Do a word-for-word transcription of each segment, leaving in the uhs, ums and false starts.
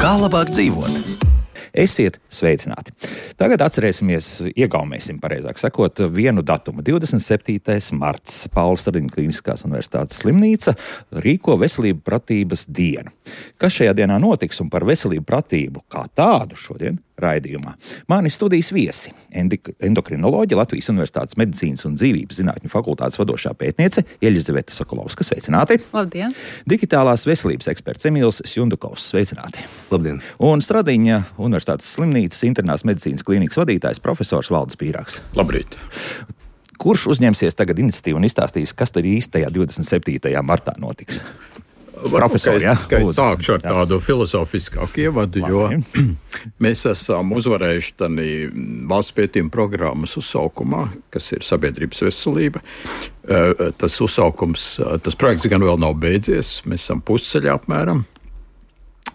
Kā labāk dzīvot? Esiet sveicināti! Tagad atcerēsimies, iegaumēsim, pareizāk sakot, vienu datumu. divdesmit septītais marts. Paula Stradiņa Kliniskās universitātes slimnīca rīko veselību pratības dienu. Kas šajā dienā notiks un par veselību pratību kā tādu šodien raidījumā? Mani studijas viesi - endokrinoloģe, Latvijas Universitātes medicīnas un dzīvības zinātņu fakultātes vadošā pētniece Eļizaveta Sokolovska. Sveicināti! Labdien! Digitālās veselības eksperts Emīls Sjundukovs. Sveicināti! Labdien! Un Stradiņa Universitātes slimnīcas internās medicīnas klīnikas vadītājs profesors Valdis Pīrāgs. Labrīt! Kurš uzņemsies tagad iniciatīvu un izstāstīs, kas tad īstajā divdesmit septītajā martā notiks? Profesori, ja? Sākšu ar tādu filozofiskāku ievadu, jo mēs esam uzvarējuši tādī valsts pētījuma programmas uzsaukumā, kas ir sabiedrības veselība. Tas uzsaukums, tas projekts gan vēl nav beidzies, mēs esam pusceļā apmēram.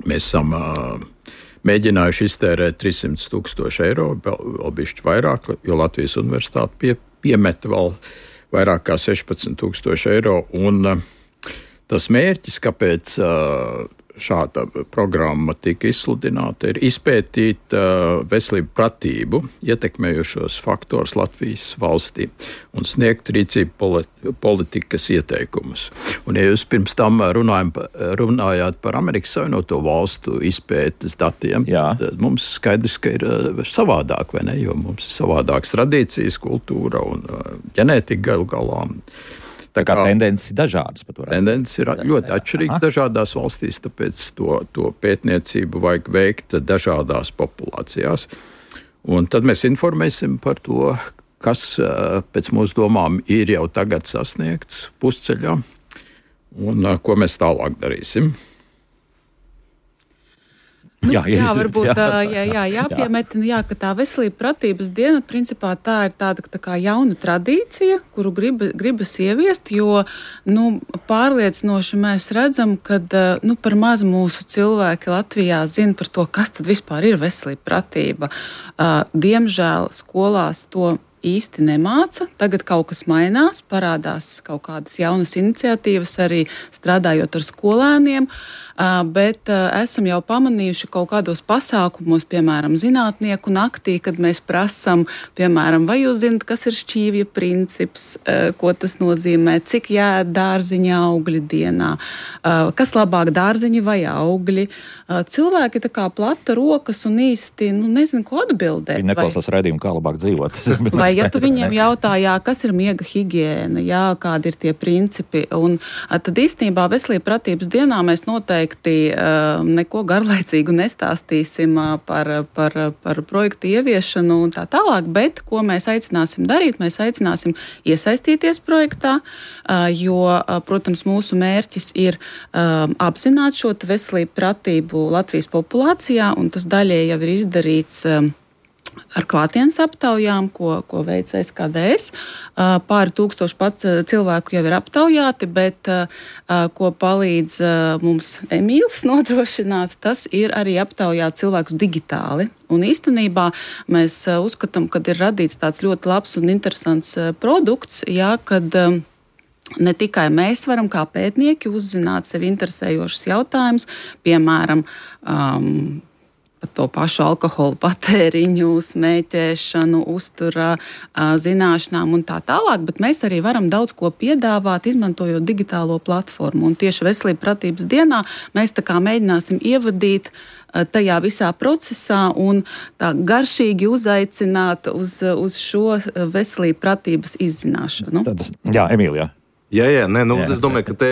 Mēs esam mēģinājuši iztērēt trīssimti tūkstoši eiro, vēl bišķi vairāk, jo Latvijas universitāte pie, piemeta vēl vairāk kā sešpadsmit tūkstoši eiro. Un tas mērķis, kāpēc šāda programma tika izsludināta, ir izpētīt veselību pratību ietekmējušos faktors Latvijas valstī un sniegt rīcību politikas ieteikumus. Un, ja jūs pirms tam runājam, runājāt par Amerikas Savienoto Valstu izpētes datiem, tad mums skaidrs, ka ir savādāk, vai ne? Jo mums ir savādākas tradīcijas, kultūra un ģenētika galu galā. Tā kā tendences ir dažādas. Tendences ir ļoti atšķirīgas dažādās valstīs, tāpēc to, to pētniecību vajag veikt dažādās populācijās. Un tad mēs informēsim par to, kas pēc mūsu domām ir jau tagad sasniegts pusceļā un ko mēs tālāk darīsim. Nu, jā, jā, varbūt jā, jā, jā, jāpiemetina, jā, ka tā veselība pratības diena, principā tā ir tāda tā kā jauna tradīcija, kuru grib, gribas ieviest, jo nu, pārliecinoši mēs redzam, ka nu, par maz mūsu cilvēki Latvijā zina par to, kas tad vispār ir veselība pratība. Diemžēl skolās to īsti nemāca. Tagad kaut kas mainās, parādās kaut kādas jaunas iniciatīvas arī strādājot ar skolēniem, bet esam jau pamanījuši kaut kādos pasākumos, piemēram, zinātnieku naktī, kad mēs prasam, piemēram, vai jūs zinat, kas ir šķīvja princips, ko tas nozīmē, cik jāēd dārziņa augļi dienā, kas labāk dārziņi vai augļi. Cilvēki tā kā plata rokas un īsti, nu, nezinu, ko atbildēt. Viņi neklausās raidījumu, kā labāk dzīvot. Vai ja tu viņiem jautā, jā, kas ir miega higiēna, jā, kādi ir tie principi, un tad īstenībā veselība pratības dienā mēs noteikti uh, neko garlaicīgu nestāstīsim uh, par, par, par projektu ieviešanu un tā tālāk, bet ko mēs aicināsim darīt, mēs aicināsim iesaistīties projektā, uh, jo, uh, protams, mūsu mērķis ir uh, apzināt šo veselību pratību Latvijas populācijā, un tas daļēji jau ir izdarīts uh, ar klātienes aptaujām, ko, ko veic S K D S. Pāri tūkstoši pats cilvēku jau ir aptaujāti, bet ko palīdz mums Emīls nodrošināt, tas ir arī aptaujāt cilvēkus digitāli. Un īstenībā mēs uzskatām, ka ir radīts tāds ļoti labs un interesants produkts, jā, kad ne tikai mēs varam kā pētnieki uzzināt sevi interesējošus jautājumus, piemēram, um, par to pašu alkoholu patēriņu, smēķēšanu, uztura zināšanām un tā tālāk, bet mēs arī varam daudz ko piedāvāt, izmantojot digitālo platformu. Un tieši veselība pratības dienā mēs tā kā mēģināsim ievadīt tajā visā procesā un tā garšīgi uzaicināt uz, uz šo veselību pratības izzināšanu. Tad, jā, Emīlija. Jā, jā, nē, nu, jā, es domāju, ka te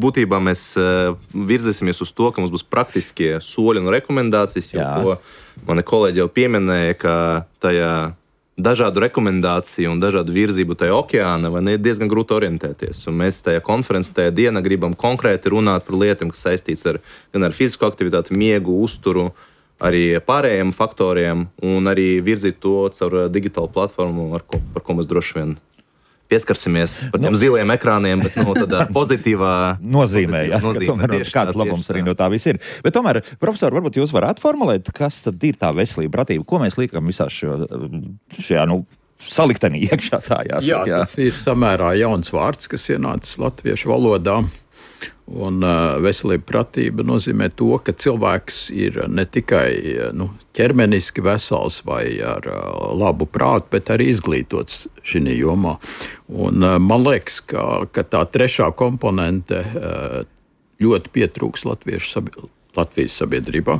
būtībā mēs uh, virzīsimies uz to, ka mums būs praktiskie soļi un rekomendācijas, jo, ko mani kolēģi jau pieminēja, ka tajā dažādu rekomendāciju un dažādu virzību tajā okeāna vai ne, ir diezgan grūti orientēties. Un mēs tajā konferencē, tajā dienā gribam konkrēti runāt par lietām, kas saistīts ar, gan ar fizisko aktivitāti, miegu, uzturu, arī pārējiem faktoriem un arī virzīt to caur digitālu platformu, ar ko, par ko mēs droši vien pieskarsimies par tiem nu, ziliem ekrāniem, bet nu, tādā pozitīvā nozīmē, jā, nozīmē, ka tomēr tieši, kāds labums tieši, arī no tā viss ir. Bet tomēr, profesori, varbūt jūs varētu formulēt, kas tad ir tā veselība pratība, ko mēs liekam visā šo, šajā, nu, saliktenī iekšā tā jāsaka. Jā, tas ir samērā jauns vārds, kas ienācis latviešu valodā. Un uh, veselība pratība nozīmē to, ka cilvēks ir ne tikai nu, ķermeniski vesels vai ar uh, labu prātu, bet arī izglītots šī jomā. Un, uh, man liekas, ka, ka tā trešā komponente uh, ļoti pietrūks latviešu sabi- Latvijas sabiedrībā.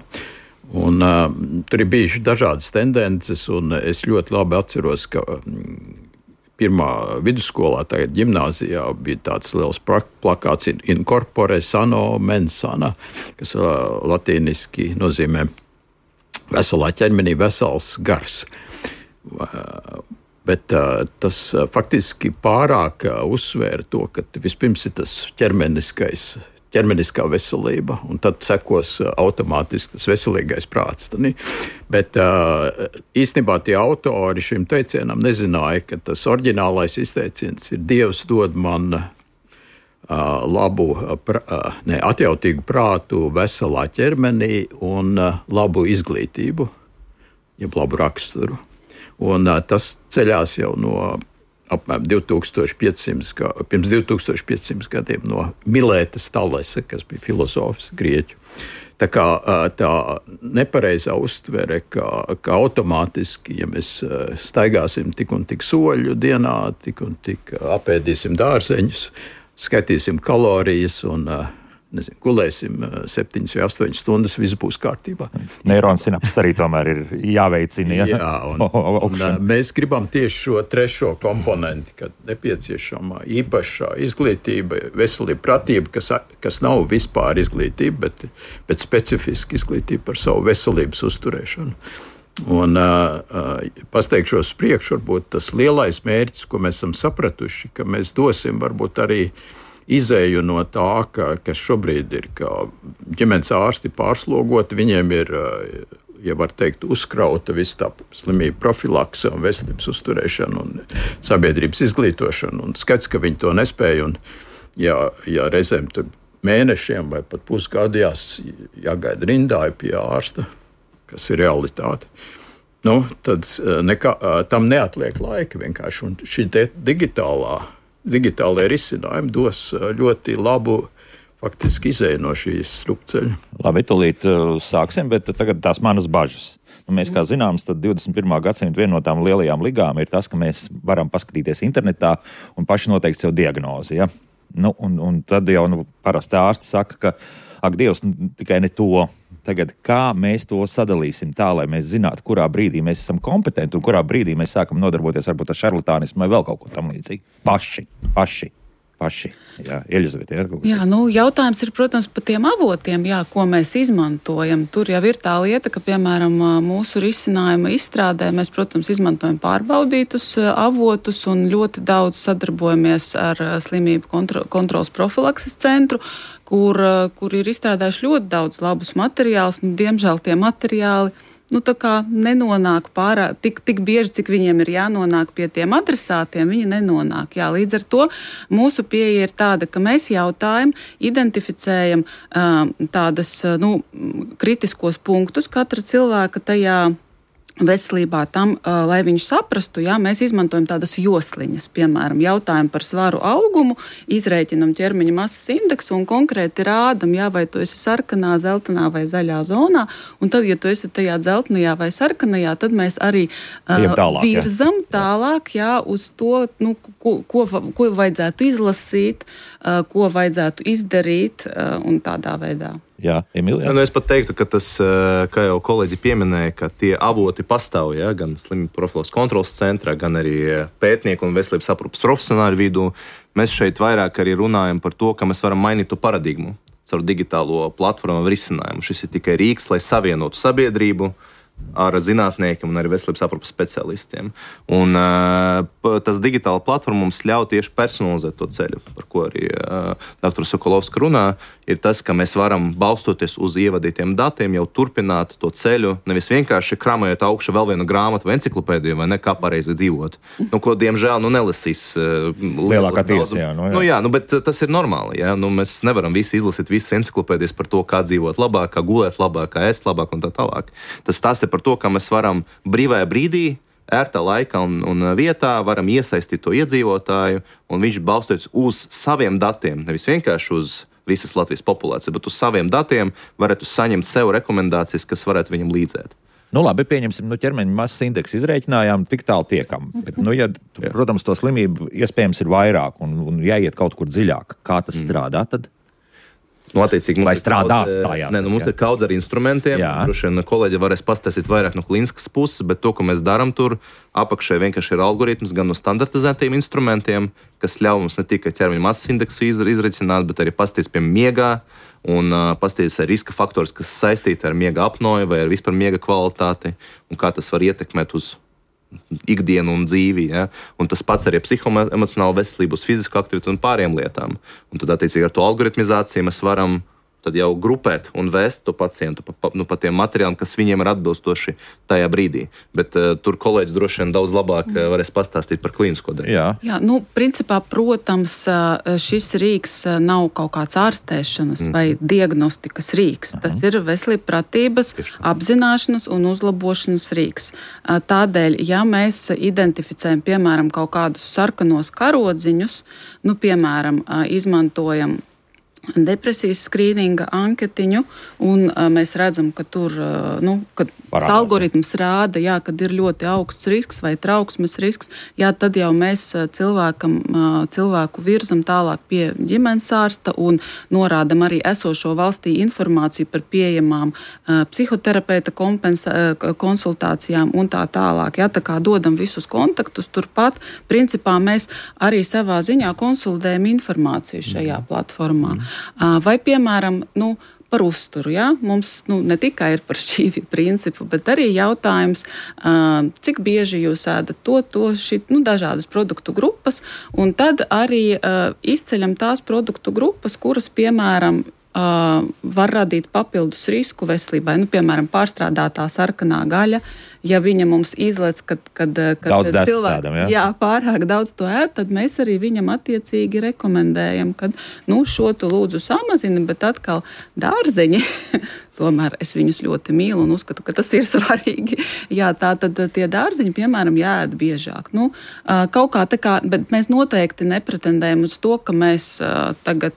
Un, uh, tur ir bijušas dažādas tendences, un es ļoti labi atceros, ka um, pirmā vidusskolā, tagad ģimnāzijā, bija tāds liels plakāts in corpore sano mens sana, kas latīniski nozīmē veselā ķermenī vesels gars. Bet tas faktiski pārāk uzsvēra to, ka vispirms ir tas ķermeniskais ķermeniskā veselība, un tad sekos automātiski tas veselīgais prāts. Bet īstenībā tie autori šim teicienam nezināja, ka tas oriģinālais izteiciens ir Dievs dod man labu, ne, atjautīgu prātu veselā ķermenī un labu izglītību, jeb labu raksturu. Un tas ceļās jau no apmēram divtūkstoš piecsimt, pirms divtūkstoš piecsimt gadiem no Milētas Talesa, kas bija filozofs grieķu. Tā kā tā nepareizā uztvere, ka, ka automātiski, ja mēs staigāsim tik un tik soļu dienā, tik un tik apēdīsim dārzeņus, skaitīsim kalorijas un nezinu, gulēsim septiņas vai astoņas stundas, viss būs kārtībā. Neirons sinapses arī tomēr ir jāveicina. Ja? Jā, un, un mēs gribam tieši šo trešo komponenti, kad nepieciešama īpašā izglītība, veselība, pratība, kas, kas nav vispār izglītība, bet, bet specifiska izglītība par savu veselības uzturēšanu. Un uh, pasteikšos priekš, varbūt tas lielais mērķis, ko mēs esam sapratuši, ka mēs dosim varbūt arī izēju no tā, ka, kas šobrīd ir, ka ģimenes ārsti pārslogoti, viņiem ir, ja var teikt, uzkrauta viss tā slimība profilakse un veselības uzturēšana un sabiedrības izglītošana. Un skats, ka viņi to nespēja, un ja, ja reizēm tur mēnešiem vai pat pusgadu jās, jāgaida rindā pie ārsta, kas ir realitāte, nu, tad nekā, tam neatliek laika vienkārši. Un šī digitālā Digitālajie risinājumi dos ļoti labu faktiski izēju no šīs strupceļa. Labi, tūlīt uh, sāksim, bet tagad tās manas bažas. Nu, mēs, kā zināms, tad divdesmit pirmā gadsimta viena no tām lielajām ligām ir tas, ka mēs varam paskatīties internetā un paši noteikt sev diagnozi. Ja? Nu, un, un tad jau nu, parasti ārsts saka, ka ak, Dievs, tikai ne to. Tagad, kā mēs to sadalīsim tā, lai mēs zinātu, kurā brīdī mēs esam kompetenti un kurā brīdī mēs sākam nodarboties varbūt ar šarlatānismu vai vēl kaut ko tam līdzīgi. Paši, paši, paši. Jā, Eļizavete, jā, jā, nu, jautājums ir, protams, par tiem avotiem, jā, ko mēs izmantojam. Tur jau ir tā lieta, ka, piemēram, mūsu risinājuma izstrādē mēs, protams, izmantojam pārbaudītus avotus un ļoti daudz sadarbojamies ar slimību kontro, kontrols profilakses centru, Kur, kur ir izstrādājuši ļoti daudz labus materiālus, un diemžēl tie materiāli nu, tā kā nenonāk pārāk, tik, tik bieži, cik viņiem ir jānonāk pie tiem adresātiem, viņi nenonāk. Jā, līdz ar to mūsu pieeja ir tāda, ka mēs jautājam, identificējam um, tādas, nu, kritiskos punktus katra cilvēka tajā veselībā tam, uh, lai viņš saprastu, jā, mēs izmantojam tādas josliņas, piemēram, jautājumu par svaru augumu, izrēķinam ķermeņa masas indeksu un konkrēti rādam, jā, vai tu esi sarkanā, zeltainā vai zaļā zonā, un tad, ja tu esi tajā dzeltenajā vai sarkanajā, tad mēs arī uh, tālāk, virzam jā. tālāk, jā, uz to, nu, ko, ko, ko vajadzētu izlasīt, uh, ko vajadzētu izdarīt uh, un tādā veidā. Jā, Emīlija. Nu, es pat teiktu, ka tas, kā jau kolēģi pieminēja, ka tie avoti pastāv, ja, gan slimību profilakses kontroles centrā, gan arī pētnieku un veselības aprūpes profesionāļu vidū. Mēs šeit vairāk arī runājam par to, ka mēs varam mainīt to paradigmu caur digitālo platformu un risinājumu. Šis ir tikai rīks, lai savienotu sabiedrību ar zinātniekiem un arī veselības aprūpes specialistiem. Un uh, tas digitāla platforma mums ļauj tieši personalizēt to ceļu, par ko arī uh, doktor Sokolovska runā, ir tas, ka mēs varam balstoties uz ievadītiem datiem jau turpināt to ceļu, nevis vienkārši kramējot augšu vēl vienu grāmatu vai enciklopēdiju, vai ne, kā pareizi dzīvot. Nu, ko, diemžēl, nu, nelasīs uh, lielākā tiesa, jā. Nu, jā. Nu, jā, nu, bet tas ir normāli, jā. Nu, mēs nevaram visi izlasīt visas enciklopēdijas par to, kā dzīvot labāk, kā gulēt labāk, kā ēst labāk un tā tālāk. Tas tās ir par to, ka mēs varam brīvajā brīdī, ērtā laikā un, un vietā varam iesaistīt to iedzīvotāju, un viņš balstoties uz saviem datiem, nevis vienkārši uz visas Latvijas populācija, bet uz saviem datiem varētu saņemt sev rekomendācijas, kas varētu viņam līdzēt. Nu, labi, pieņemsim, nu, ķermeņa masas indeksu izrēķinājām, tik tālu tiekam. Bet, nu, ja, protams, to slimību iespējams ir vairāk un, un jāiet kaut kur dziļāk. Kā tas mm. strādā tad? Nu, attiecīgi, vai strādās tā jāsaka? Nē, nu, mums jā. ir kaudz ar instrumentiem. Droši vien kolēģi varēs pastāstīt vairāk no klīniskas puses, bet to, ko mēs darām tur, apakšē vienkārši ir algoritms gan no standartizētiem instrumentiem, kas ļauj mums ne tikai ķermeņa masas indeksu izreicināt, bet arī pastāstīt pie miegā un uh, pastāstīt ar riska faktorus, kas saistīti ar miega apnoju vai ar vispār miega kvalitāti un kā tas var ietekmēt uz ikdienu un dzīvi, ja? Un tas pats arī psihoemocionālu veselību, uz fizisku aktivitāti un pārējām lietām. Un tad, attiecīgi, ar to algoritmizāciju mēs varam tad jau grupēt un vēst to pacientu pa, pa, nu, pa tiem materiāliem, kas viņiem ir atbilstoši tajā brīdī. Bet uh, tur kolēģis droši vien daudz labāk uh, varēs pastāstīt par klīnisko daļu. Jā, Jā nu, principā, protams, šis rīks nav kaut kāds ārstēšanas mm. vai diagnostikas rīks. Mm. Tas ir veselības pratības, apzināšanas un uzlabošanas rīks. Tādēļ, ja mēs identificējam, piemēram, kaut kādus sarkanos karodziņus, nu, piemēram, izmantojam depresijas skrīninga anketiņu, un uh, mēs redzam, ka tur uh, nu, kad algoritms rāda, jā, kad ir ļoti augsts risks vai trauksmes risks, jā, tad jau mēs uh, cilvēkam, uh, cilvēku virzam tālāk pie ģimenes ārsta un norādam arī esošo valstī informāciju par pieejamām uh, psihoterapeita kompensa, uh, konsultācijām un tā tālāk. Jā, tā kā dodam visus kontaktus turpat, principā mēs arī savā ziņā konsolidējam informāciju šajā platformā. Vai, piemēram, nu, par uzturu. Ja? Mums nu, ne tikai ir par šī principu, bet arī jautājums, cik bieži jūs ēdat to, to, šit, nu, dažādas produktu grupas, un tad arī izceļam tās produktu grupas, kuras, piemēram, var radīt papildus risku veselībai. Nu, piemēram, pārstrādātā sarkanā gaļa. Ja viņa mums izlec, kad, kad, kad daudz cilvēki ja? jā, pārāk daudz to ēd, tad mēs arī viņam attiecīgi rekomendējam, ka nu, šo tu lūdzu samazini, bet atkal dārzeņi, tomēr es viņus ļoti mīlu un uzskatu, ka tas ir svarīgi. Jā, tā tad tie dārzeņi, piemēram, jāēd biežāk. Nu, kaut kā tā kā, bet mēs noteikti nepretendējam uz to, ka mēs tagad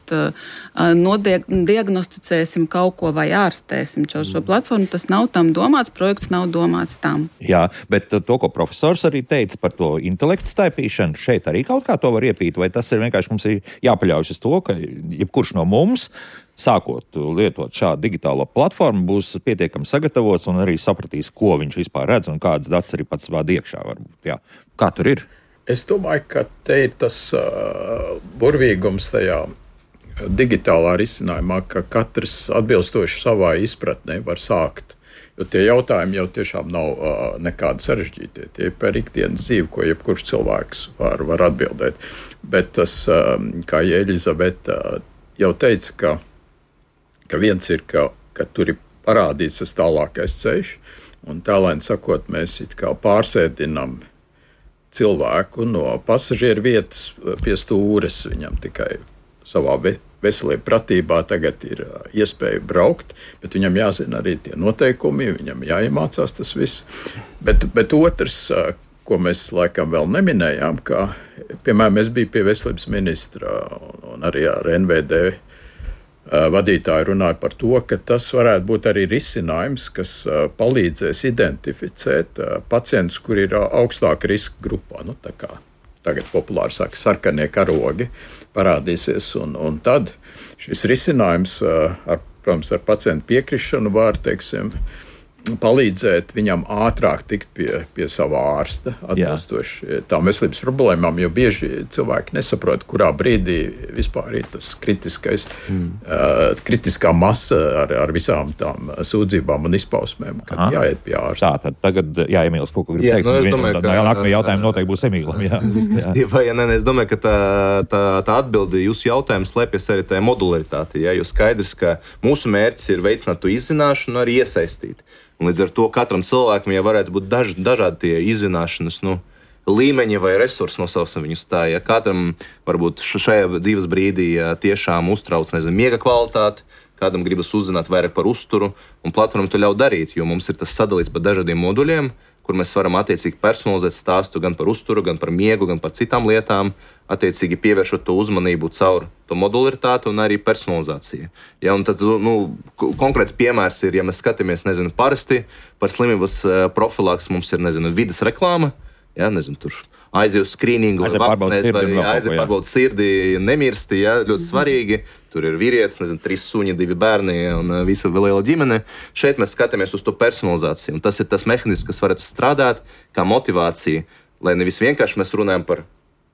nodiagnosticēsim kaut ko vai ārstēsim caur šo platformu. Tas nav tam domāts, projekts nav domāts tam. Jā, bet to, ko profesors arī teica par to intelektu staipīšanu, šeit arī kaut kā to var iepīt, vai tas ir vienkārši mums ir jāpaļaujas uz to, ka jebkurš no mums, sākot lietot šādu digitālo platformu, būs pietiekami sagatavots un arī sapratīs, ko viņš vispār redz un kādas datus arī pats vād iekšā varbūt. Jā. Kā tur ir? Es domāju, ka te ir tas uh, burvīgums tajā digitālā risinājumā, ka katrs atbilstoši savā izpratnē var sākt. Jo tie jautājumi jau tiešām nav uh, nekādi sarežģīti. Tie ir par ikdienas dzīvi, ko jebkurš cilvēks var, var atbildēt. Bet tas, uh, kā Elizabete uh, jau teica, ka, ka viens ir, ka, ka tur ir parādīts tas tālākais ceļš, un tālēn sakot, mēs it kā pārsēdinam cilvēku no pasažieru vietas pie stūres, viņam tikai savā veselība pratībā tagad ir iespēja braukt, bet viņam jāzina arī tie noteikumi, viņam jāiemācās tas viss. Bet, bet otrs, ko mēs laikam vēl neminējām, ka, piemēram, es biju pie veselības ministra un arī ar N V D vadītāju runāju par to, ka tas varētu būt arī risinājums, kas palīdzēs identificēt pacientus, kuri ir augstāka riska grupā. Nu, tā kā tagad populāri saka, sarkanie karogi parādīsies, un, un tad šis risinājums, ar, protams, ar pacientu piekrišanu var, teiksim, palīdzēt viņam ātrāk tikt pie, pie savā ārsta, atbilstoši tām veselības problēmām, jo bieži cilvēki nesaprot, kurā brīdī vispār ir tas kritiskais, mm. uh, kritiskā masa ar, ar visām tām sūdzībām un izpausmēm, kad Aha. jāiet pie ārsta. Tā, tad tagad, jā, Emīls, ko grib jā, teikt? Nu, domāju, ka, nākamie jautājumi noteikti būs Emīlam. Jā. jā. Vai, ja, ne, es domāju, ka tā, tā, tā atbildi jūsu jautājumu slēpjas arī tajā modularitātī, ja, jo skaidrs, ka mūsu mērķis ir veicināt to izzināšanu un arī iesaistīt. Un līdz ar to katram cilvēkam jau varētu būt daž, dažādi tie izzināšanas nu, līmeņi vai resursi, nosauksim viņus tā. Ja katram varbūt šajā dzīves brīdī ja tiešām uztrauc, nezinu, miega kvalitāti, kādam gribas uzzināt vairāk par uzturu, un platforma to ļauj darīt, jo mums ir tas sadalīts pa dažādiem moduļiem, kur mēs varam attiecīgi personalizēt stāstu gan par uzturu, gan par miegu, gan par citām lietām, attiecīgi pievēršot to uzmanību caur to to modularitāti un arī personalizāciju. Ja, un tad, nu, konkrēts piemērs ir, ja mēs skatāmies, nezinu, parasti par slimības profilaks mums ir, nezinu, vides reklāma, ja, nezinu, tur aiziet uz skrīningu, aiziet pārbauda sirdi, nemirsti, ja, ļoti svarīgi. Tur ir vīrietis, nezinu, trīs suņi, divi bērni un visa liela ģimene. Šeit mēs skatāmies uz to personalizāciju. Un tas ir tas mehānisms, kas varētu strādāt kā motivācija, lai nevis vienkārši mēs runājam par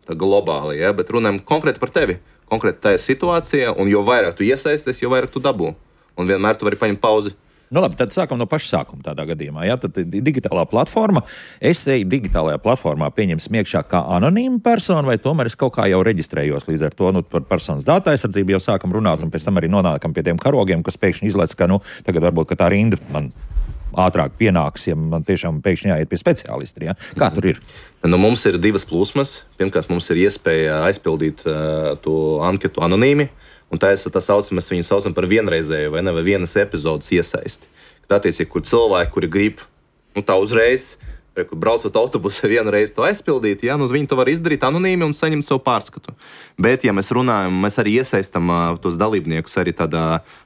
globāli, ja, bet runājam konkrēti par tevi, konkrēti tajā situācijā, un jo vairāk tu iesaisties, jo vairāk tu dabū. Un vienmēr tu vari paņemt pauzi. Nu labi, tad sākam no paša sākuma tādā gadījumā. Jā, tad digitālā platforma. Es eju digitālajā platformā pieņemsim iekšā kā anonīma persona, vai tomēr es kaut kā jau reģistrējos līdz ar to, nu, par personas datu aizsardzību jau sākam runāt, un pēc tam arī nonākam pie tiem karogiem, kas pēkšņi izlaiž, ka, nu, tagad varbūt, ka tā rinda man ātrāk pienāks, ja man tiešām pēkšņi jāiet pie speciālista. Ja? Kā tur ir? Nu, mums ir divas plūsmas. Pirmkārt, mums ir iespēja aizpildīt uh, to anketu anonīmi. Un tā ir tā saucama, mēs viņu saucam par vienreizēju vai ne, vai vienas epizodes iesaisti. Kad attiecīgi, kur cilvēki, kuri grib, nu tā uzreiz, kur braucot autobusā vienu reizi to aizpildīt, ja, nu viņi to var izdarīt anonīmi un saņemt savu pārskatu. Bet, ja mēs runājam, mēs arī iesaistam uh, tos dalībniekus arī tādā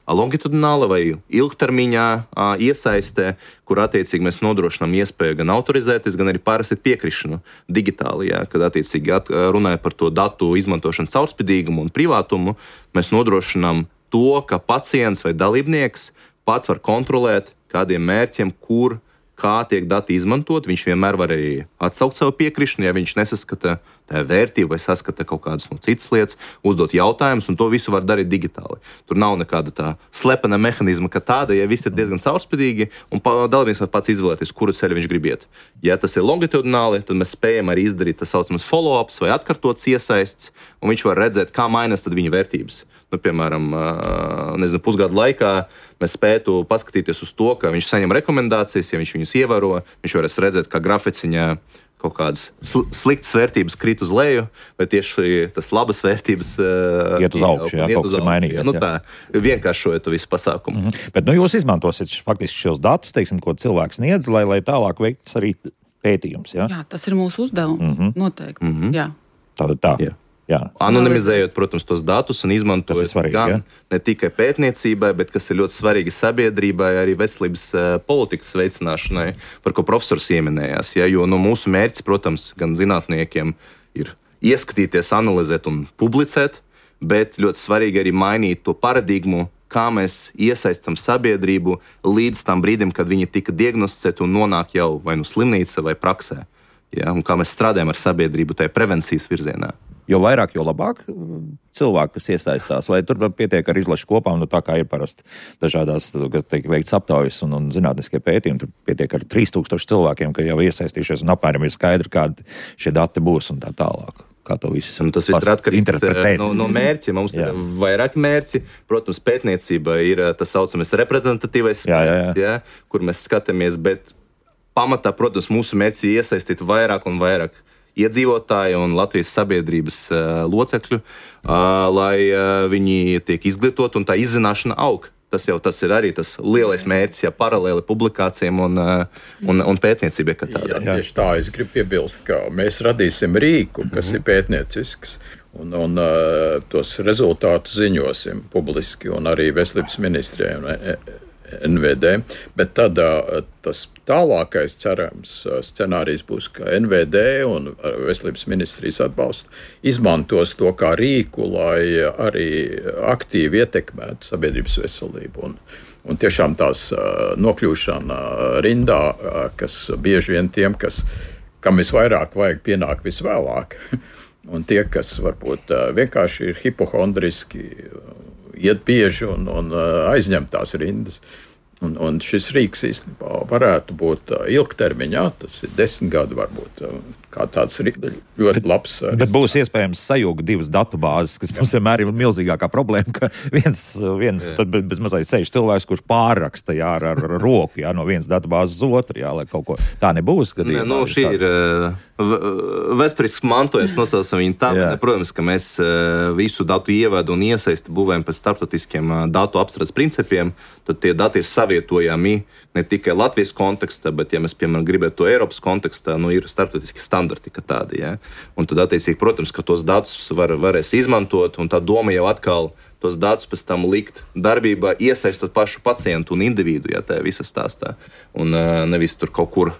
longitudināla vai ilgtermiņā uh, iesaistē, kur attiecīgi mēs nodrošinām iespēju gan autorizēties, gan arī pārrakstīt piekrišanu digitāli, ja, kad attiecīgi at, runāja par to datu izmantošanu caurspīdīgumu un privātumu, mēs nodrošinām to, ka pacients vai dalībnieks pats var kontrolēt kādiem mērķiem, kur kā tiek dati izmantot, viņš vienmēr var arī atsaukt savu piekrišanu, ja viņš nesaskata tā vērtību vai saskata kaut kādas no citas lietas, uzdot jautājumus, un to visu var darīt digitāli. Tur nav nekāda tā slepena mehanizma, ka tāda, ja viss ir diezgan caurspīdīgi, un dalībnieks var pats izvēlēties, kuru ceļu viņš grib iet. Ja tas ir longitudināli, tad mēs spējam arī izdarīt tā saucamas follow-ups vai atkartots iesaists, un viņš var redzēt, kā mainās tad viņa vērtības. Nu, piemēram, nezinu, pusgadu laikā mēs spētu paskatīties uz to, ka viņš saņem rekomendācijas, ja viņš viņus ievēro, viņš varēs redzēt, kā graficiņā kaut kādas sl- sliktas vērtības krīt uz leju, vai tieši tas labas vērtības iet uz augšu, jā, kaut kas ir mainījies. Nu, tā, vienkāršojot to visu pasākumu. Mm-hmm. Bet nu, jūs izmantosiet faktiski šos datus, teiksim, ko cilvēks sniedz, lai, lai tālāk veikts arī pētījums, jā? Jā, tas ir mūsu uzdevums, mm-hmm. noteikti, mm-hmm. jā. Tātad tā. Jā. Jā. Anonimizējot, protams, tos datus un izmantojot svarīgi, gan ja? ne tikai pētniecībai, bet kas ir ļoti svarīgi sabiedrībai, arī veselības uh, politikas veicināšanai, par ko profesors ieminējās. Ja? Jo no mūsu mērķis, protams, gan zinātniekiem ir ieskatīties, analizēt un publicēt, bet ļoti svarīgi arī mainīt to paradigmu, kā mēs iesaistam sabiedrību līdz tam brīdim, kad viņi tika diagnosticēti un nonāk jau vai nu slimnīca vai praksē. Ja? Un kā mēs strādājam ar sabiedrību tajā prevencijas virzienā. Jo vairāk, jo labāk cilvēki, kas iesaistās, vai tur pietiek ar izlašu kopām, nu tā kā ir parasti dažādās, kad tiek veikts aptaujas un, un zinātniskie pētījumi, tur pietiek ar trīs tūkstoši cilvēkiem, ka jau iesaistījušies un apmēram ir skaidri, kādi šie dati būs un tā tālāk. Kā to visu un tas viss ir atkarīgs no, no mērķa. Mums jā. Ir vairāki mērķi. Protams, pētniecība ir tas saucamais reprezentatīvais jā, jā, jā. Ja, kur mēs skatāmies, bet pamatā, protams, mūsu mērķis ir iesaistīt vairāk un vairāk iedzīvotāji un Latvijas sabiedrības uh, locekļu, uh, lai uh, viņi tiek izglītoti un tā izzināšana aug. Tas jau tas ir arī tas lielais mērķis, ja paralēli publikācijām un, uh, un, un pētniecībai. Jā, tieši tā, es gribu piebilst, ka mēs radīsim rīku, kas mm-hmm. ir pētniecisks, un, un uh, tos rezultātus ziņosim publiski un arī veselības ministrijai un N V D, bet tad tas tālākais cerams scenārijs būs, ka N V D un veselības ministrijas atbalstu izmantos to kā rīku, lai arī aktīvi ietekmētu sabiedrības veselību. Un, un tiešām tās nokļūšana rindā, kas bieži vien tiem, kas, kam visvairāk vajag, pienāk visvēlāk, un tie, kas varbūt vienkārši ir hipohondriski, iet bieži un, un aizņem tās rindas. Un, un šis rīks īstenībā varētu būt ilgtermiņā, tas ir desmit gadi varbūt, kā tāds ļoti labs. Bet, bet būs iespējams sajūgt divas datu bāzes, kas mums vienmēr ir milzīgākā problēma, ka viens, viens tad bez mazliet sēž cilvēks, kurš pārraksta jā, ar, ar roku jā, no vienas datu bāzes uz otru, jā, lai kaut ko tā nebūs. Gadījumā, ne, nu, šī ir uh, vēsturisks mantojums, nosaucam viņu tā. Ne, protams, ka mēs uh, visu datu ievedu un iesaisti būvējam pēc starptautiskiem uh, datu apstrādes principiem, tad tie dati ir savi savietojami ne tikai Latvijas kontekstā, bet, ja mēs, piemēram, gribētu to Eiropas kontekstā, nu, ir starptautiski standarti, ka tādi, ja? Un tad, attiecīgi, protams, ka tos datus var, varēs izmantot, un tā doma jau atkal tos datus pēc tam likt darbībā, iesaistot pašu pacientu un individu, ja tā visa stāstā. Un uh, nevis tur kaut kur,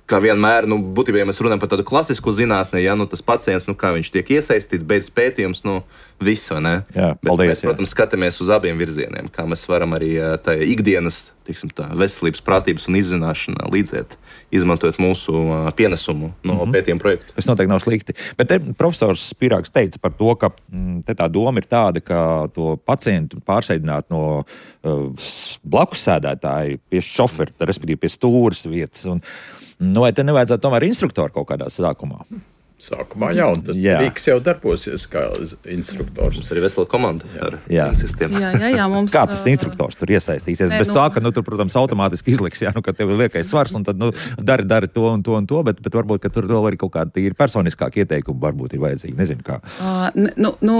kā vienmēr, nu, būtībā, ja mēs runājam par tādu klasisku zinātni, ja, nu, tas pacients, nu, kā viņš tiek iesaistīts, beidz pētījums, nu, viss, vai ne? Jā, bet paldies, mēs, protams, skatāmies uz abiem virzieniem, kā mēs varam arī tajā ikdienas, teiksim, tā veselības, prātības un izzināšanā līdzēt, izmantojot mūsu uh, pienesumu no mm-hmm. pētījuma projekta. Tas noteikti nav slikti. Bet te profesors Spirāgs teica par to, ka mm, te tā doma ir tāda, ka to pacientu pārsēdināt no uh, blakus sēdētāju pie šofera, respektīvi pie stūras vietas. Un, nu, vai te nevajadzētu tomēr instruktoru kaut kādā sākumā? Sākumā jau, un tas Rīks jau darbosies kā instruktors. Mums arī vesela komanda ar sistēmu. Jā, jā, jā, mums... Kā tas instruktors tur iesaistīsies? Nē, Bez nu... tā, ka, nu, tur, protams, automātiski izliks, jā, nu, ka tev ir liekais svars, un tad, nu, dari, dari to un to un to, bet, bet varbūt, ka tur vēl arī kaut kāda tīri personiskāka ieteikuma varbūt ir vajadzīga, nezinu kā. Uh, nu, nu,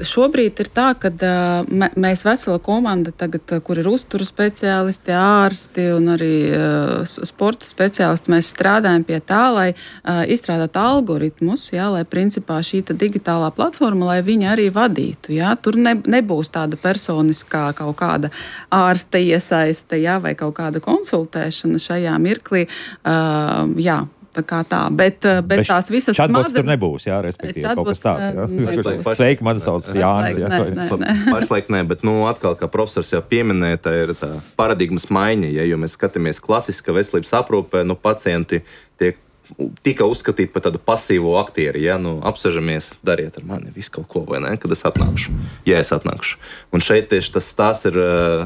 šobrīd ir tā, ka uh, mēs vesela komanda tagad, kur ir uzturu speciālisti, ārsti un arī uh, sporta speciālisti, mēs strādājam pie tā, lai uh, izstrādātu algu algoritmus, jā, lai principā šī digitālā platforma, lai viņa arī vadītu. Jā. Tur ne, nebūs tāda personiskā kaut kāda ārsta iesaiste, jā, vai kaut kāda konsultēšana šajā mirklī. Uh, jā. Tā kā tā, bet, bet, bet tās visas smadzenes... tur nebūs, jā, respektīvi, kaut kas tāds, jā. Sveiki, man sauc Jānis, jā. Nē, nē, nē. Pašlaik nē, bet, nu, atkal, kā profesors jau pieminēja, tā ir tā paradigmas maiņa, ja, jo mēs skatāmies klasiska veselības aprūpē, nu, pacienti tiek tika uzskatīt par tādu pasīvo aktieri, ja, nu, apsežamies, dariet ar mani visu kaut ko, vai ne, kad es atnākšu, ja es atnākšu. Un šeit tieši tas stāsts ir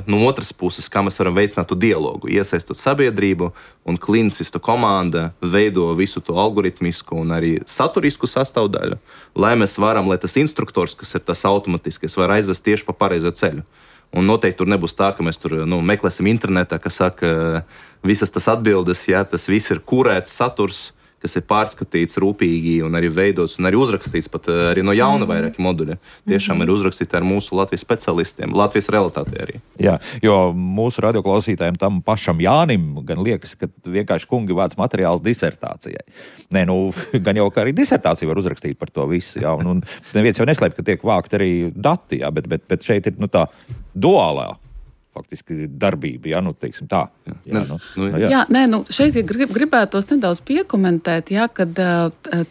no otras puses, kā mēs varam veicināt to dialogu, iesaistot sabiedrību un klinicistu komanda veido visu to algoritmisku un arī saturisku sastāvdaļu, lai mēs varam, lai tas instruktors, kas ir tas automatiskais, var aizvest tieši pa pareizo ceļu. Un noteikti tur nebūs tā, ka mēs tur, nu, meklēsim internetā, kas saka, visas tas atbildes, jā, tas viss ir kurēts saturs, kas ir pārskatīts rūpīgi un arī veidots un arī uzrakstīts pat arī no jauna mm-hmm. vairāki moduļi. Tiešām mm-hmm. ir uzrakstīti ar mūsu Latvijas specialistiem, Latvijas realitātē arī. Jā, jo mūsu radioklausītājiem tam pašam Jānim gan liekas, ka vienkārši kungi vāc materiāls disertācijai. Nē, nu, gan jau, ka arī disertāciju var uzrakstīt par to visu, jā, un, un neviens jau neslēp, ka tiek vākt arī dati, jā, bet, bet, bet šeit ir, nu, tā duālā faktiski darbība, jā, nu, teiksim tā. Jā, nu, nu, jā. jā nē, nu, šeit grib, gribētos nedaudz piekomentēt, jā, kad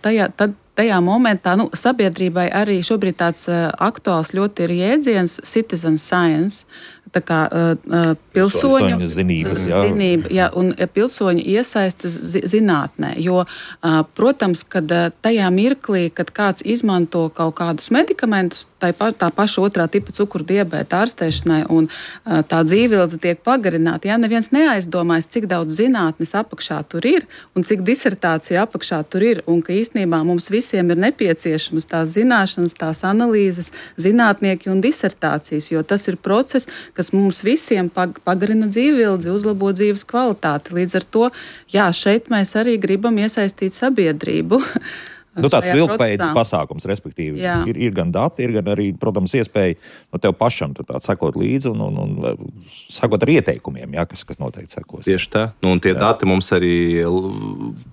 tajā, tad, tajā momentā, nu, sabiedrībai arī šobrīd tāds uh, aktuāls ļoti ir jēdziens citizen science, tā kā uh, pilsoņu zinības, jā. zinība, jā, un pilsoņu iesaistas zi, zinātnē, jo, uh, protams, kad uh, tajā mirklī, kad kāds izmanto kaut kādus medikamentus, tā, tā paša otrā tipa cukuru diabēta ārstēšanai un uh, tā dzīvildze tiek pagarināta, jā, neviens neaizdomājas, cik daudz zinātnes apakšā tur ir un cik disertācija apakšā tur ir, un ka īstenībā mums visiem ir nepieciešamas tās zināšanas, tās analīzes, zinātnieki un disertācijas, jo tas ir process, kas mums visiem pagarina dzīvildzi, uzlabo dzīves kvalitāti. Līdz ar to, jā, šeit mēs arī gribam iesaistīt sabiedrību. Nu, tāds vilkpējas pasākums, respektīvi. Ir, ir gan dati, ir gan arī, protams, iespēja no tev pašam tur tā sekot līdzi un, un, un sekot ar ieteikumiem, jā, kas, kas noteikti sekos. Tieši tā. Nu, un tie jā. Dati mums arī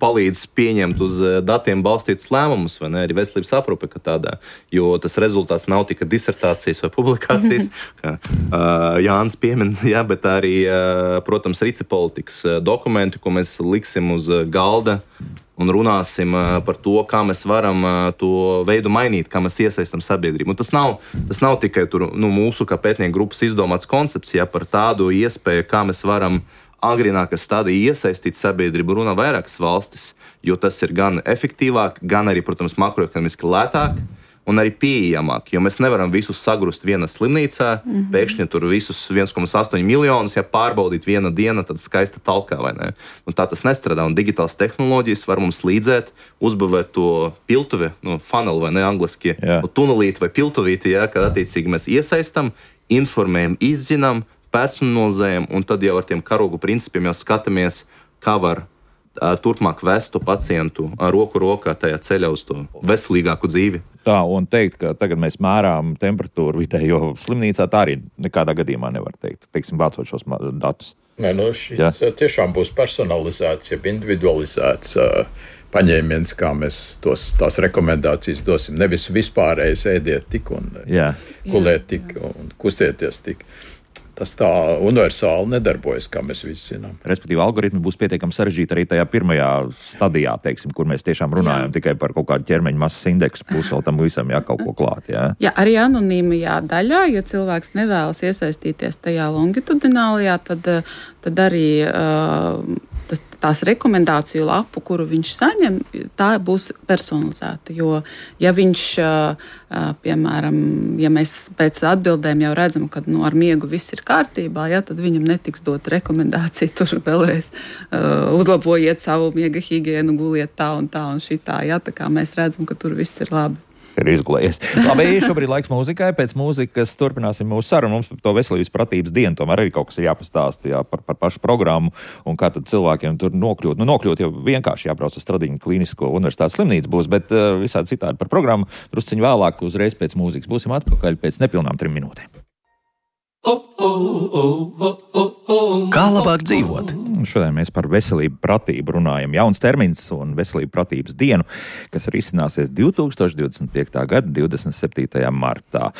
palīdz pieņemt uz datiem balstītus lēmumus, vai ne, arī veselības aprūpe, ka tādā, jo tas rezultāts nav tikai disertācijas vai publikācijas, kā uh, Jānis piemin, jā, bet arī, uh, protams, rici politikas dokumenti, ko mēs liksim uz galda, un runāsim uh, par to, kā mēs varam uh, to veidu mainīt, kā mēs iesaistam sabiedrību. Un tas nav, tas nav tikai tur, nu, mūsu kā pētnieku grupas izdomāts koncepts, ja, par tādu iespēju, kā mēs varam agrīnākā stadijā iesaistīt sabiedrību, runā vairākas valstis, jo tas ir gan efektīvāk, gan arī, protams, makroekonomiski lētāk un arī pieejamāk, jo mēs nevaram visus sagrust vienā slimnīcā, mm-hmm. pēkšņi tur visus viens komats astoņi miljonus, ja pārbaudīt viena diena, tad skaista talkā, vai ne? Un tā tas nestrādā, un digitālas tehnoloģijas var mums līdzēt, uzbūvēt to piltuvi, nu, funnel, vai ne, angliski, nu, tunelīti vai piltuvīti, ja, kad attiecīgi mēs iesaistam, informējam, izzinām, personalizējam, un tad jau ar tiem karogu principiem jau skatāmies, kā var turpmāk vestu pacientu roku rokā tajā ceļā uz to veselīgāku dzīvi. Tā, un teikt, ka tagad mēs mērām temperatūru vidējo slimnīcā, tā arī nekādā gadījumā nevar teikt, teiksim, vācot šos datus. Nē, nu šis ja. tiešām būs personalizēts, jeb individualizēts uh, paņēmiens, kā mēs tos, tās rekomendācijas dosim. Nevis vispārējais ēdiet tik un ja. gulēt tik un kustieties tik. Tas tā universāli nedarbojas, kā mēs visi zinām. Respektīvi, algoritmi būs pietiekami sarežģīti arī tajā pirmajā stadijā, teiksim, kur mēs tiešām runājam jā. tikai par kaut kādu ķermeņa masas indeksu, plus vēl tam visam jā, kaut ko klāt. Jā, jā arī anonīmajā daļā, ja cilvēks nevēlas iesaistīties tajā longitudinālajā, tad, tad arī uh, tas, tās rekomendāciju lapu, kuru viņš saņem, tā būs personalizēta. Jo, ja viņš, uh, piemēram, ja mēs pēc atbildēm jau redzam, ka nu, ar miegu viss ir kārtībā, ja, tad viņam netiks dot rekomendāciju tur vēlreiz uh, uzlabojiet savu miega higienu, guliet tā un tā un šitā. Ja, tā kā mēs redzam, ka tur viss ir labi. Ir izgulējies. Labi, šobrīd laiks mūzikai. Pēc mūzikas turpināsim mūsu sarunu. Mums par to veselības pratības dienu tomēr arī kaut kas ir jāpastāst jā, par, par pašu programmu un kā tad cilvēkiem tur nokļūt. Nu, nokļūt jau vienkārši jābrauc uz Stradiņu Klinisko universitātes slimnīcu būs, bet uh, visādi citādi par programmu drusciņu vēlāk uzreiz pēc mūzikas. Būsim atpakaļ pēc nepilnām trim minūtēm. Kā labāk dzīvot? Šodien mēs par veselību pratību runājam. Jauns termins un veselību pratības dienu, kas arī izcināsies divtūkstoš divdesmit piektā gada divdesmit septītajā martā.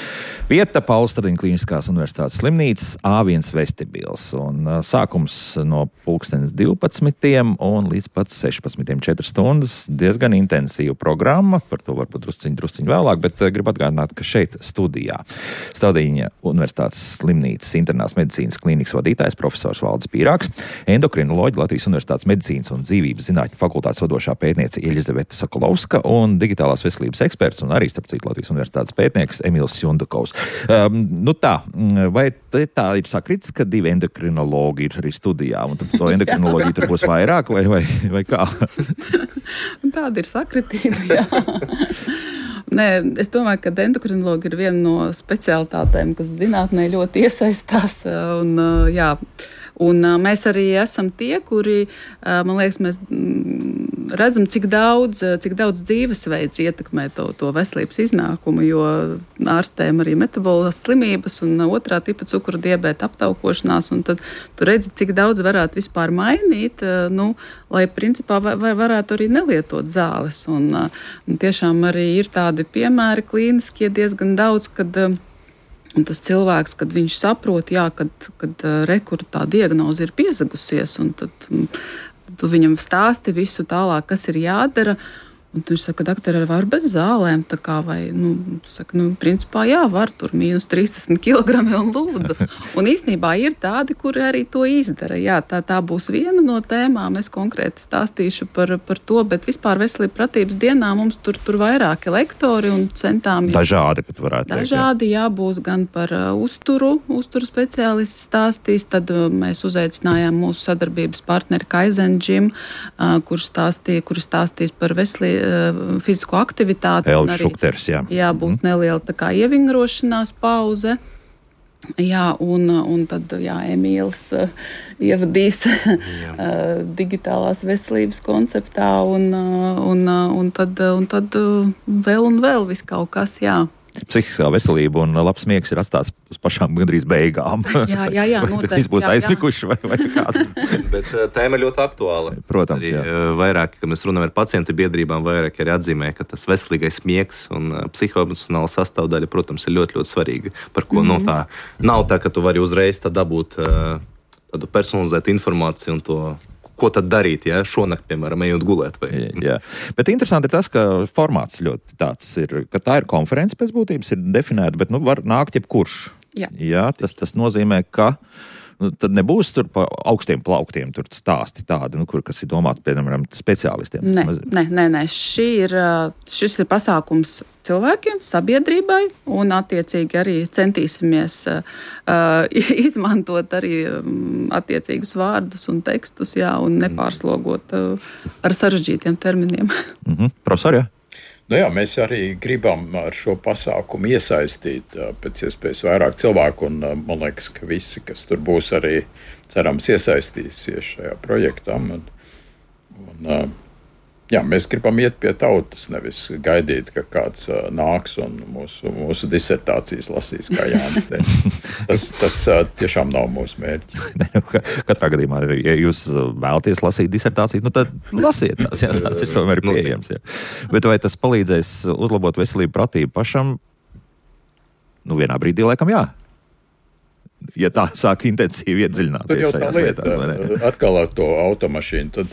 Vieta Paula Stradiņa Kliniskās universitātes slimnīcas A viens vestibils. Un sākums no pulkstenes divpadsmitiem un līdz pat sešpadsmitiem četras stundas. Diezgan intensīva programma, par to varbūt drusciņ, drusciņ vēlāk, bet gribu atgādināt, ka šeit studijā Stradiņa universitātes slimnīcas internās medicīnas klīnikas vadītājs profesors Valdis Pīrāgs, endokrinoloģi Latvijas Universitātes medicīnas un dzīvības zinātņu fakultātes vadošā pētniece Eļizaveta Sokolovska un digitālās veselības eksperts un arī, starp citu, Latvijas Universitātes pētnieks Emīls Jundukovs. Um, nu tā, vai tā ir sakrits, ka divi endokrinologi ir arī studijā, un to endokrinoloģiju tur būs vairāk, vai, vai, vai kā? Tāda ir sakritība, jā. Nē, es domāju, ka endokrinologi ir viena no specialitātēm, kas zinātnē ļoti iesaistās. Un, jā, un mēs arī esam tie, kuri, man liekas, mēs redzam, cik daudz, cik daudz dzīvesveids ietekmē to, to veselības iznākumu, jo ārstējam arī metabolās slimības un otrā tipa cukura diabēta aptaukošanās, un tad tu redzi, cik daudz varētu vispār mainīt, nu, lai principā var, varētu arī nelietot zāles. Un, un tiešām arī ir tādi piemēri klīniskie diezgan daudz, kad un tas cilvēks, kad viņš saprot, jā, kad, kad rekur tā diagnoze ir piezagusies, un tad tu viņam stāsti visu tālāk, kas ir jādara. Un viņš saka, doktori, var bez zālēm, tā kā vai, nu, saka, nu, principā jā, var tur mīnus trīsdesmit kilogrami un lūdzu. Un īstenībā ir tādi, kuri arī to izdara. Jā, tā, tā būs viena no tēmām, es konkrēti stāstīšu par, par to, bet vispār veselība pratības dienā mums tur, tur vairāki lektori un centām. Dažādi, pat varētu teikt. Dažādi, jā, būs gan par uh, uzturu, uzturu speciālisti stāstīs, tad uh, mēs uzaicinājām mūsu sadarbības partneri Kaizen Gym, uh, kurš stāstīja, kurš stāstīs par veselību fizisko aktivitāti. Elvis Šukters, jā. Jā, būs mm. neliela tā kā ievingrošanās pauze. Jā, un, un tad, jā, Emīls uh, ievadīs uh, digitālās veselības konceptā, un, uh, un, uh, un tad, uh, un tad uh, vēl un vēl vis kaut kas, jā. Psihiskā veselība un labs miegs ir atstāts uz pašām gandrīz beigām. Jā, jā, jā. Vai tas būs aizmiguši vai, vai kādu? Bet tēma ļoti aktuāla. Protams, arī, jā. Vairāk, kad mēs runājam ar pacientu biedrībām, vairāk arī atzīmē, ka tas veselīgais miegs un psihoemocionāla sastāvdaļa, protams, ir ļoti, ļoti svarīga. Par ko, mm-hmm. no tā, nav tā, ka tu vari uzreiz tā dabūt tādu personalizētu informāciju un to, ko tad darīt, ja šonakt, piemēram, ejot gulēt. Vai? Jā, jā. Bet interesanti ir tas, ka formāts ļoti tāds ir, ka tā ir konference pēc būtības, ir definēta, bet nu var nākt jebkurš. Jā. Jā, tas, tas nozīmē, ka nu, tad nebūs tur pa augstiem plauktiem tur stāsti tādi, nu, kur, kas ir domāti, piemēram, speciālistiem. Nē, nē, nē, nē. Šī ir, šis ir pasākums cilvēkiem, sabiedrībai, un attiecīgi arī centīsimies uh, izmantot arī um, attiecīgus vārdus un tekstus, jā, un nepārslogot uh, ar sarežģītiem terminiem. Mm-hmm. Profesor, jā? Nu jā, mēs arī gribam ar šo pasākumu iesaistīt uh, pēc iespējas vairāk cilvēku, un uh, man liekas, ka visi, kas tur būs, arī cerams iesaistīsies šajā projektā. Un, un Un, uh, jā, mēs gribam iet pie tautas, nevis gaidīt, ka kāds uh, nāks un mūsu, mūsu disertācijas lasīs, kā Jānis teica. Tas, tas uh, tiešām nav mūsu mērķis. Katrā gadījumā, ja jūs vēlaties lasīt disertācijas, nu tad lasiet tās, jā, tās ir tomēr pieejams. Jā. Bet vai tas palīdzēs uzlabot veselību, pratību pašam? Nu, vienā brīdī laikam jā. Ja tā sāk intensīvi iedziļināties šajās lietās, vai ne? Atkal ar to automašīnu, tad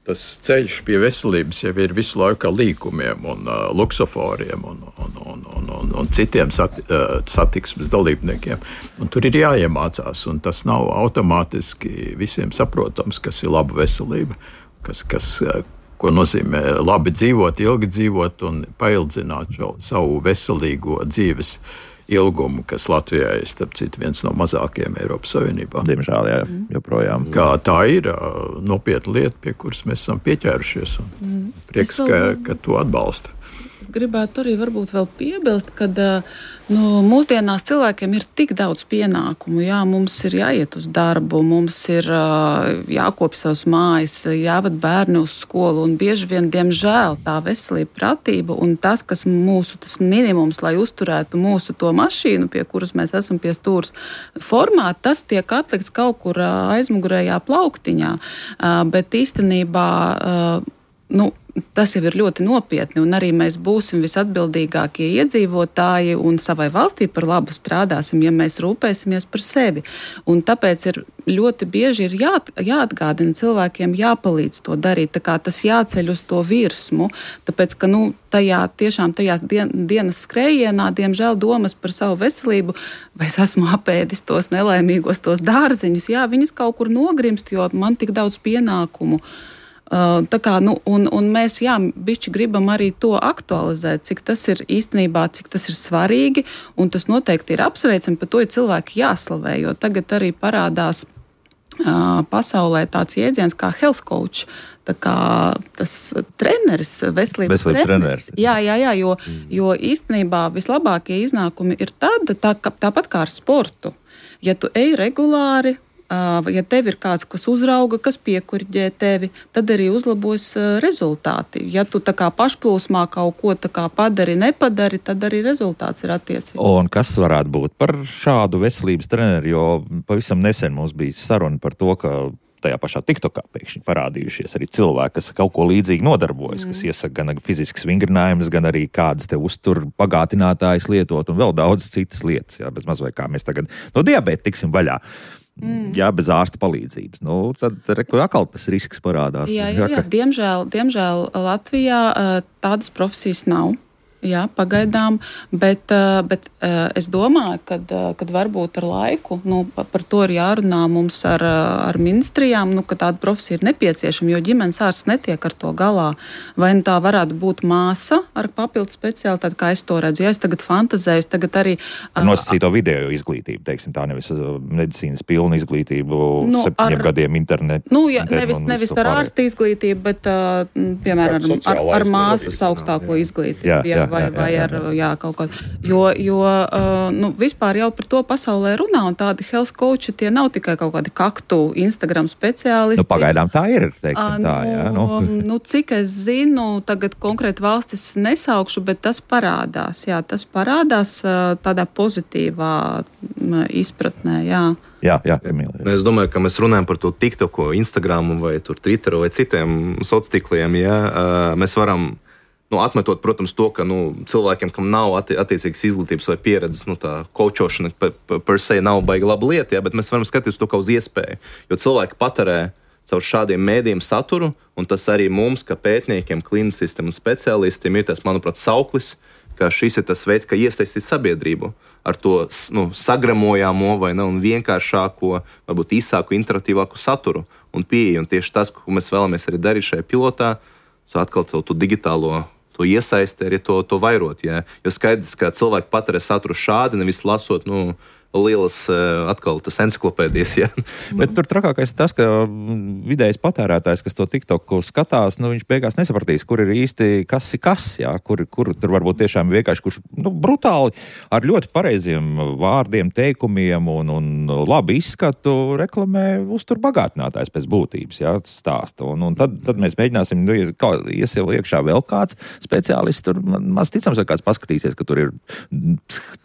tas ceļš pie veselības jau ir visu laiku ar līkumiem un uh, luksoforiem un, un, un, un, un, un citiem sat, uh, satiksmes dalībniekiem. Un tur ir jāiemācās, un tas nav automātiski visiem saprotams, kas ir laba veselība, kas, kas, uh, ko nozīmē labi dzīvot, ilgi dzīvot un paildzināt šo savu veselīgo dzīves ilgumu, kas Latvijā ir, starp citu, viens no mazākajiem Eiropas Savienībā. Diemžēl, jā, joprojām. Kā tā ir nopietna lieta, pie kuras mēs esam pieķērušies, un mm. prieks, ka, ka to atbalsta. Es gribētu arī varbūt vēl piebilst, ka nu, mūsdienās cilvēkiem ir tik daudz pienākumu. Jā, mums ir jāiet uz darbu, mums ir jākopj savas mājas, jāved bērni uz skolu, un bieži vien, diemžēl, tā veselība, pratība un tas, kas mūsu tas minimums, lai uzturētu mūsu to mašīnu, pie kuras mēs esam pie stūras formā, tas tiek atlikts kaut kur aizmugurējā plauktiņā. Bet īstenībā, nu, tas jau ir ļoti nopietni, un arī mēs būsim visatbildīgākie iedzīvotāji un savai valstī par labu strādāsim, ja mēs rūpēsimies par sevi. Un tāpēc ir ļoti bieži ir jā, jāatgādina cilvēkiem, jāpalīdz to darīt, tā kā tas jāceļ uz to virsmu, tāpēc, ka, nu, tajā tiešām tajās dien, dienas skrējienā, diemžēl domas par savu veselību, vai es esmu apēdis tos nelaimīgos, tos dārziņus, jā, viņas kaut kur nogrimst, jo man tik daudz pienākumu. Uh, tā kā, nu, un, un mēs, jā, bišķi gribam arī to aktualizēt, cik tas ir īstenībā, cik tas ir svarīgi, un tas noteikti ir apsveicami, par to ir cilvēki jāslavē, jo tagad arī parādās uh, pasaulē tāds jēdziens kā health coach, tā kā tas treneris, veselības, veselības treneris. Jā, jā, jā, jo, mm. jo īstenībā vislabākie iznākumi ir tad, tā, tāpat kā ar sportu. Ja tu ej regulāri, ja tev ir kāds, kas uzrauga, kas piekuriģē tevi, tad arī uzlabos rezultāti. Ja tu tā kā pašplūsmā kaut ko tā kā padari, nepadari, tad arī rezultāts ir attiecīgi. Un kas varētu būt par šādu veselības treneri, jo pavisam nesen mums bija saruna par to, ka tajā pašā TikTokā pēkšņi parādījušies arī cilvēki, kas kaut ko līdzīgi nodarbojas, mm. kas iesaka gan fiziskas vingrinājumus, gan arī kādas te uztur pagātinātājas lietot un vēl daudz citas lietas. Jā, bez maz vai kā mēs tagad no diabēta tiksim vaļā. Mm. Jā, bez ārsta palīdzības. Nu, tad reku, atkal tas risks parādās. Jā, jā, jā. Diemžēl, diemžēl Latvijā tādas profesijas nav. Jā, pagaidām, bet, bet es domāju, kad, kad varbūt ar laiku, nu, par to ir jārunā mums ar, ar ministrijām, nu, ka tāda profesija ir nepieciešama, jo ģimenes ārsts netiek ar to galā. Vai nu tā varētu būt māsa ar papildu speciālitāti, kā es to redzu. Ja es tagad fantazēju, tagad arī... Ar nosacīto video izglītību, teiksim tā, nevis medicīnas pilnu izglītību, nu, septiņiem ar, gadiem internetu. Nu, jā, nevis, nevis ar ārsta izglītību, bet, piemēram, ar, ar, ar māsas augstāko izglītību. Jā, jā. Vai, vai ar jā, kaut ko. Jo, jo uh, nu, vispār jau par to pasaulē runā, un tādi health coachi tie nav tikai kaut kādi kaktu Instagram speciālisti. Nu, pagaidām tā ir, teiksim tā, jā. Nu. Nu, cik es zinu, tagad konkrēti valstis nesaukšu, bet tas parādās, jā, tas parādās uh, tādā pozitīvā uh, izpratnē, jā. Jā, jā, Emīlija. Es domāju, ka mēs runājam par to TikToku, Instagramu vai tur Twitteru vai citiem sociāliem, jā, uh, mēs varam Nu, atmetot, protams, to, ka nu, cilvēkiem, kam nav atti- attiecīgas izglītības vai pieredzes, nu, tā kočošana per, per se nav baigi laba lieta, ja, bet mēs varam skatīties to kā uz iespēju. Jo cilvēki patērē caur šādiem mēdījiem saturu, un tas arī mums, kā pētniekiem, klinicistiem un speciālistiem, ir tas, manuprāt, sauklis, ka šis ir tas veids, kā iesaistīt sabiedrību ar to nu, sagramojāmo vai ne, un vienkāršāko, varbūt īsāku, interaktīvāku saturu un pieeju. Un tieši tas, ko mēs vēlamies arī darīt šajā pilotā, atkal to, to digitālo to iesaisti, arī to, to vairot. Jā. Jo skaidrs, ka cilvēki patērē saturu šādi, nevis lasot nu, lielas atkal tas enciklopēdijas. Ja. Bet tur trakākais ir tas, ka vidējais patērētājs, kas to TikToku skatās, nu, viņš beigās nesapratīs, kur ir īsti kas ir kas, jā, kur, kur tur varbūt tiešām vienkārši, kurš nu, brutāli ar ļoti pareiziem vārdiem, teikumiem un, un labu izskatu reklamē uztur bagātinātājs pēc būtības, jā, stāsta. Un, un tad, tad mēs mēģināsim, nu, kā iesiel iekšā vēl kāds speciālists, tur maz ticams, ka kāds paskatīsies, ka tur ir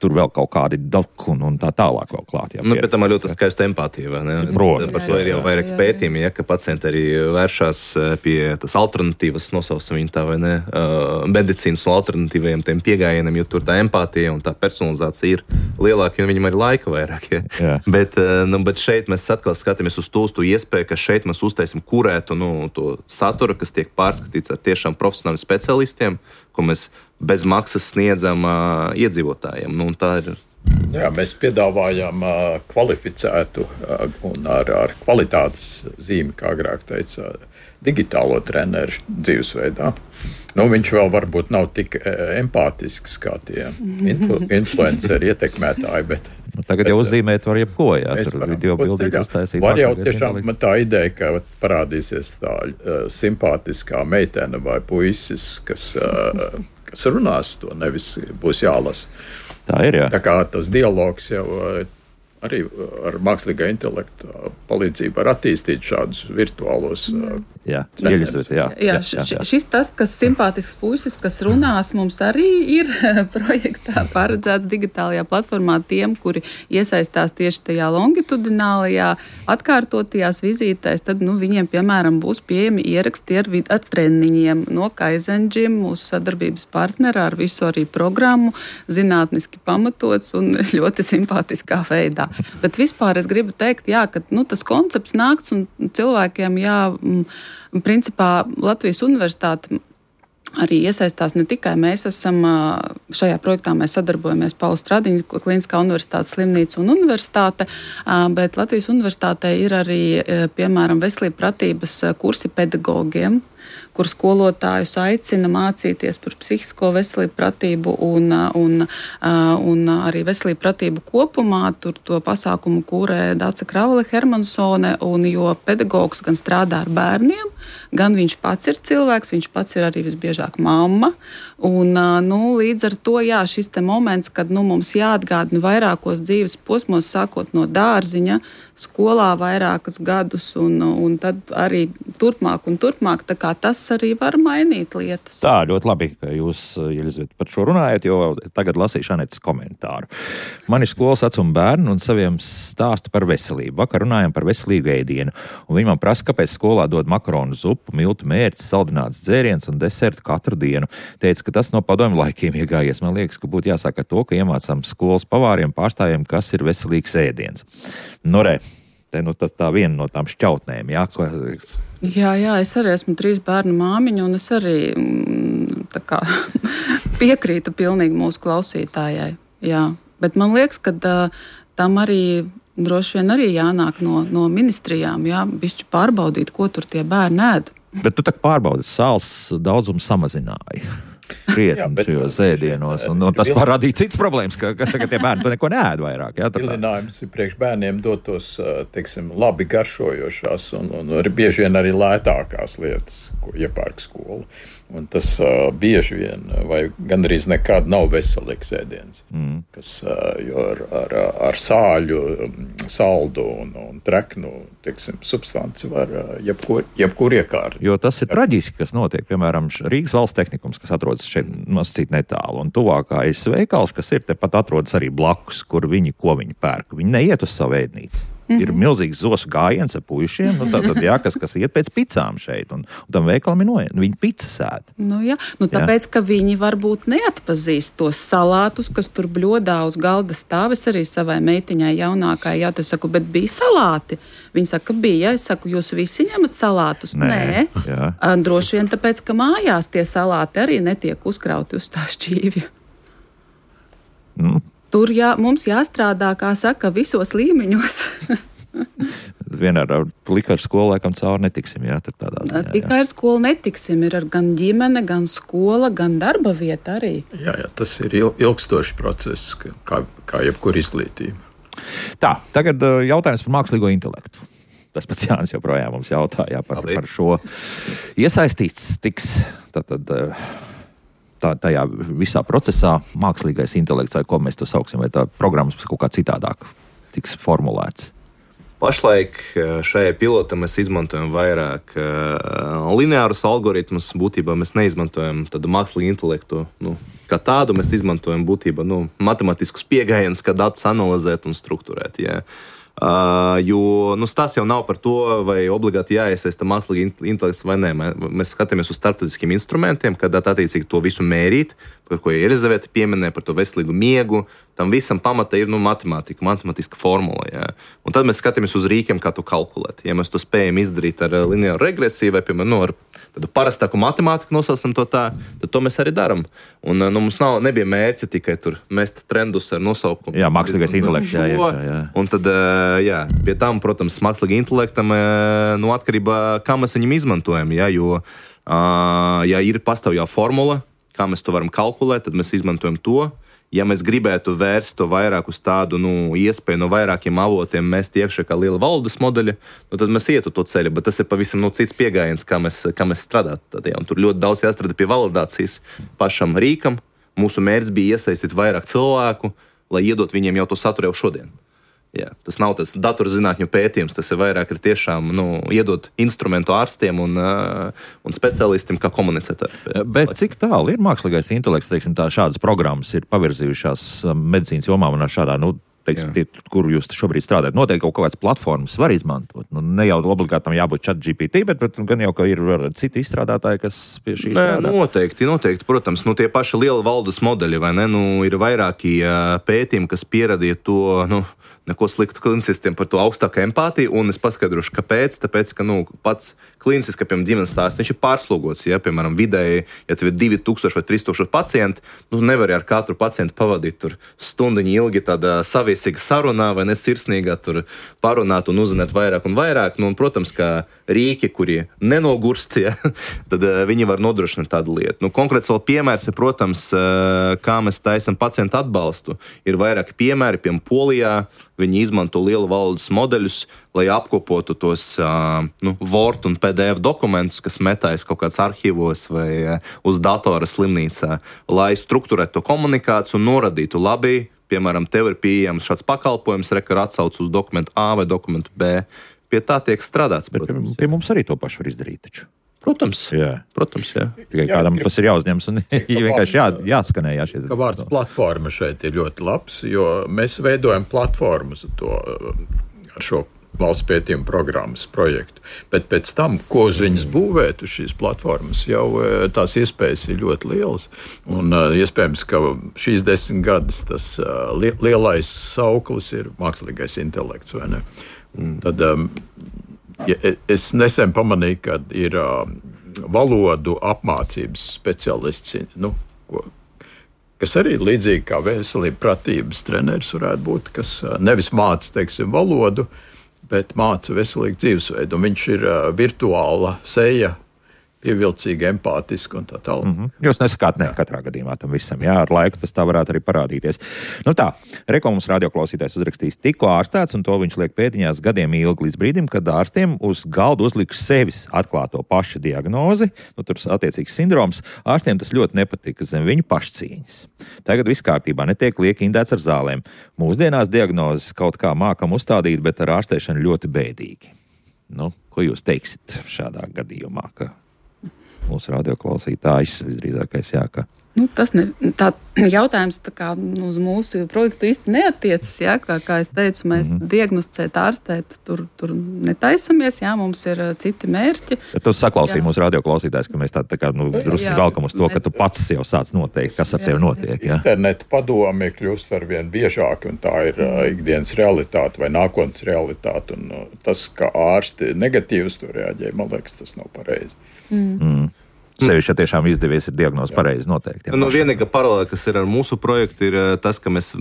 tur vēl kaut kādi doku un, un tā tālāk vēl klāt. Jā, nu, bet tam ir ļoti skaista empātija, vai ne? Protams. Par to ir jau vairāk pētījumi, ja, ka pacienti arī vēršās pie tas alternatīvas, nosaucam viņu tā, vai ne, uh, medicīnas un alternatīvajiem tiem piegājieniem, jo tur tā empātija un tā personalizācija ir lielāka, un viņam arī laika vairāk. Ja. Jā. Bet, uh, nu, bet šeit mēs atkal skatāmies uz to, uz to iespēju, ka šeit mēs uztaisim kurētu nu, to saturu, kas tiek pārskatīts ar tiešām profesionāliem specialistiem, ko mēs bez maksas sniedzam uh, iedzīvotājiem. Nu, tā ir Jā, mēs piedāvājam uh, kvalificētu uh, un ar, ar kvalitātes zīmi, kā agrāk teica, digitālo treneru dzīvesveidā. Nu, viņš vēl varbūt nav tik uh, empātisks kā tie influ, influenceri ietekmētāji, bet nu, tagad jau uzzīmēt var jebko, jā, tur video bildīt uztaisīt. Var jau tiešām tā ideja, ka parādīsies tā uh, simpātiskā meitene vai puisis, kas, uh, kas runās to, nevis būs jālasa. Tā ir, jā. Tā kā tas dialogs jau arī ar mākslīgā intelekta palīdzību var attīstīt šādus virtuālos jā, Jeļizaveta, jā, jā, jā, jā. Šis tas, kas simpātisks puisis, kas runās, mums arī ir projektā paredzēts digitālajā platformā tiem, kuri iesaistās tieši tajā longitudinālajā atkārtotajās vizītēs, tad, nu, viņiem, piemēram, būs pieejami ieraksti ar, ar treniņiem no Kaizen Gym, mūsu sadarbības partnera, ar visu arī programmu, zinātniski pamatots un ļoti simpātiskā veidā. Bet vispār es gribu teikt, jā, ka nu, tas koncepts nākts un cilvēkiem, jā, principā Latvijas universitāte arī iesaistās ne tikai mēs esam, šajā projektā mēs sadarbojamies Paula Stradiņa, Kliniskā universitātes slimnīca un universitāte, bet Latvijas universitātē ir arī, piemēram, veselība pratības kursi pedagogiem, kur skolotājus aicina mācīties par psihisko veselību pratību un, un, un arī veselību pratību kopumā. Tur to pasākumu kūrē Dāca Kravale Hermansone, un jo pedagogs gan strādā ar bērniem, gan viņš pats ir cilvēks, viņš pats ir arī visbiežāk mamma. Un, nu, līdz ar to, jā, šis te moments, kad nu, mums jāatgādina vairākos dzīves posmos, sākot no dārziņa, skolā vairākus gadus, un, un tad arī turpmāk un turpmāk, tā kā tas arī var mainīt lietas. Tā, ļoti labi, ka jūs, Jeļizaveta, par šo runājat, jo tagad lasīšu Anetes komentāru. Man ir skolas vecuma bērni un saviem stāstu par veselību. Vakar runājam par veselīgu ēdienu, un viņi man prasa, kāpēc skolā dod makaronu zupu, miltu mērķis, saldināts dzēriens un desertu katru dienu. Teica, ka tas no padomju laikiem iegājies. Man liekas, ka būtu jāsāk ar to, ka iemācām skolas pavāriem, pārstāvjiem, kas ir veselīgs ēdiens. Nu, re, te nu tas tā viena no tām šķautnēm, jā, ko... Jā, jā, es arī esmu trīs bērnu māmiņa, un es arī tā kā piekrītu pilnīgi mūsu klausītājai. Jā. Bet man liekas, ka uh, tam arī droši vien arī jānāk no, no ministrijām, jā, bišķi pārbaudīt, ko tur tie bērni ēd. Bet tu tā pārbaudi, sāls daudzumu samazināja. Krietni šajos ēdienos, un, un tas parādīja cits problēmas, ka, ka tagad tie bērni neko neēd vairāk. Jā, Vilinājums ir priekš bērniem dot tos, teiksim, labi garšojošās un, un bieži vien arī lētākās lietas, ko iepērk skola. Un tas uh, bieži vien, vai gandrīz nekad nav veselīgs ēdiens, mm. kas uh, jo ar, ar, ar sāļu, saldu un, un treknu, teiksim, substanci var uh, jebkur, jebkur iekārt. Jo tas ir traģiski, kas notiek. Piemēram, Rīgas valsts tehnikums, kas atrodas šeit nosacīt netālu, un tuvākais veikals, kas ir tepat atrodas arī blakus, kur viņi, ko viņi pērk. Viņi neiet uz savu ēdnīti. Mm-hmm. Ir milzīgs zosu gājiens ar puišiem, nu, tātad, jā, kas, kas iet pēc picām šeit, un, un tam veikalam ir noiet. Viņi picas ēd. Nu, jā, nu, tāpēc, jā. Ka viņi varbūt neatpazīst tos salātus, kas tur bļodā uz galda stāv. Es arī savai meitiņai jaunākai, jā, tas saku, bet bija salāti. Viņa saka, bija, es saku, jūs visi ņemat salātus? Nē. Nē. Droši vien tāpēc, ka mājās tie salāti arī netiek uzkrauti uz tā šķīvja. Mm. Tur jā, mums jāstrādā, kā saka, visos līmeņos. Vienā ar likaru skolu laikam cauri netiksim, jā, tad tādā ziņā. Tikai ar skolu netiksim, ir ar gan ģimene, gan skola, gan darba vieta arī. Jā, jā, tas ir ilgstošs process, kā, kā jebkur izglītība. Tā, tagad jautājums par mākslīgo intelektu. Tas pats Jānis joprojām mums jautāja par, par šo. Iesaistīts tiks tātad tā, tajā visā procesā mākslīgais intelekts, vai ko mēs to sauksim, vai tā programmas kaut kā citādāk tiks formulēts. Pašlaik šajā pilotā mēs izmantojam vairāk uh, lineārus algoritmus. Būtībā mēs neizmantojam tādu mākslīgu intelektu. Nu, kā tādu mēs izmantojam būtībā nu, matemātiskus pieejams, kā datus analizēt un strukturēt. Jā. Uh, jo nu, tas jau nav par to, vai obligāti jāiesaista mākslīgi intelekts vai nē. Mēs skatāmies uz starptautiskiem instrumentiem, kad attiecīgi to visu mērīt, par ko Elizavete pieminēja, par to veselīgu miegu. Tam visam pamata ir nu, matemātika, matemātiska formula. Jā. Un tad mēs skatāmies uz rīkiem, kā to kalkulēt. Ja mēs to spējam izdarīt ar lineāru regresiju vai, piemēram, nu, ar tādu parastāku matemātiku, nosaucam to tā, tad to mēs arī darām. Un nu, mums nav, nebija mērķi tikai tur mest trendus ar nosaukumu. Jā, mākslīgais intelekts. Jā, jā, jā. Un tad, jā, pie tam, protams, mākslīgi intelektam, nu, atkarībā, kā mēs viņam izmantojam. Jā, jo, ja ir pastāv jau formula, kā mēs to varam kalkulēt, tad mēs izmantojam to. Ja mēs gribētu vērst to vairāk uz tādu nu, iespēju no vairākiem avotiem, mēs tiekšā kā liela valodas modeļa, nu, tad mēs ietu to ceļu. Bet tas ir pavisam nu, cits pieejams, kā mēs, kā mēs strādājam. Tur ļoti daudz jāstrādā pie validācijas pašam rīkam. Mūsu mērķis bija iesaistīt vairāk cilvēku, lai iedot viņiem jau to saturu jau šodien. Jā, tas nav tas datorzinātņu pētījums, tas ir vairāk ir tiešām nu, iedot instrumentu ārstiem un, uh, un specialistiem, kā komunicēt. Bet cik tālu ir mākslīgais intelekts, teiksim, tā šādas programmas ir pavirzījušās medicīnas jomā un šādā, nu, teiksim, tie, kur jūs šobrīd strādājat, noteikti kaut kādas platformas var izmantot. Nu, ne jau obligāti tam jābūt ChatGPT, bet, bet gan jau, ka ir citi izstrādātāji, kas pie šī strādā. Noteikti, noteikti, protams. Nu, tie paši liela valdes modeļi, vai ne? Nu, ir vairāki uh, pētījumi, kas pierādīja to, nu, neko sliktu klinicistiem par to augstāku empātiju, un es paskaidrošu, kāpēc. Tāpēc, ka nu, pats klinicis, kā piemēram ģimenes ārsts, viņš ir pārslogots. Ja, piemēram, vidēji, ja tev ir divi tūkstoši vai trīs tūkstoši pacienti, nu, nevar ar katru pacientu pavadīt tur stundiņu ilgi tādā saviesīga sarunā vai nesirsnīgā tur parunāt un uzzināt vairāk un vairāk. Nu, un, protams, kā rīki, kuri nenogurst, ja, tad uh, viņi var nodrošināt tādu lietu. Nu, konkrēts vēl piemērs ir, protams, uh, kā mēs taisam pacientu atbalstu. Ir vairāki piemēri, piemēram, Polijā. Viņi izmanto lielu valodas modeļus, lai apkopotu tos uh, nu, Word un P D F dokumentus, kas metājas kaut kāds arhīvos vai uh, uz datora slimnīcā, lai strukturētu to komunikāciju un norādītu labi, piemēram, tev ir pieejams šāds pakalpojums, rekar atsauc uz dokumentu A vai dokumentu B. Pie tā tiek strādāts. Bet pie, pie mums arī to pašu var izdarīt taču. Protams, jā. Protams, jā. Tikai kādam tas ir jāuzņems un vienkārši jā, jāskanē. Jā, šie... Ka vārds platforma šeit ir ļoti labs, jo mēs veidojam platformas to, ar šo valsts pētījuma programmas projektu. Bet pēc tam, ko uz viņas būvēt, uz šīs platformas, jau tās iespējas ir ļoti lielas. Un iespējams, ka šīs desmit gadus tas lielais sauklis ir mākslīgais intelekts, vai ne? Un tad... Ja, es nesen pamanīju, ka ir uh, valodu apmācības speciālists, nu, ko, kas arī līdzīgi kā veselība pratības treneris varētu būt, kas uh, nevis māca, teiksim, valodu, bet māca veselīgu dzīvesveidu. Un viņš ir uh, virtuāla seja, pievilcīga, empātiska un tā tālāk. Mm-hmm. Jūs nesakāt ne katrā gadījumā tam visam. Jā, ar laiku tas tā varētu arī parādīties. Nu tā, reko mums radioklausītājs uzrakstījis tikko ārstēts, un to viņš liek pēdiņās gadiem ilgi līdz brīdim, kad ārstiem uz galdu uzliks sevis atklāto pašu diagnozi, nu tur attiecīgs sindroms, ārstiem tas ļoti nepatika zem viņu pašcīņas. Tagad viss kārtībā, netiek liek indēts ar zālēm. Mūsdienās diagnozes kaut kā mākam uzstādīt, bet ar ārstēšanu ļoti bēdīgi. Nu, ko jūs teiksit šādā gadījumā, ka mūsu radioklausītājs visdrīzākais jā, ka... Nu, tas ne, tā jautājums tā kā uz mūsu projektu īsti neatiecas, jā, kā, kā es teicu, mēs mm-hmm. diagnosticēt, ārstēt, tur, tur netaisamies, jā, mums ir citi mērķi. Bet tu saklausīji jā. Mūsu radioklausītājs, ka mēs tā, tā kā, nu, drusku velkam uz to, mēs... ka tu pats jau sāc noteikt, kas ar jā. Tevi notiek, jā. Interneta padomi kļūst arvien biežāk, un tā ir uh, ikdienas realitāte vai nākotnes realitāte, un uh, tas, ka ārsti negatīvs to reaģē, man liekas, tas nav pareizi. Mm. Mm. Sevišķi, ja tiešām izdevies ir diagnoze pareizi noteikti. Nu, vienīgā paralēle, kas ir ar mūsu projektu, ir tas, ka mēs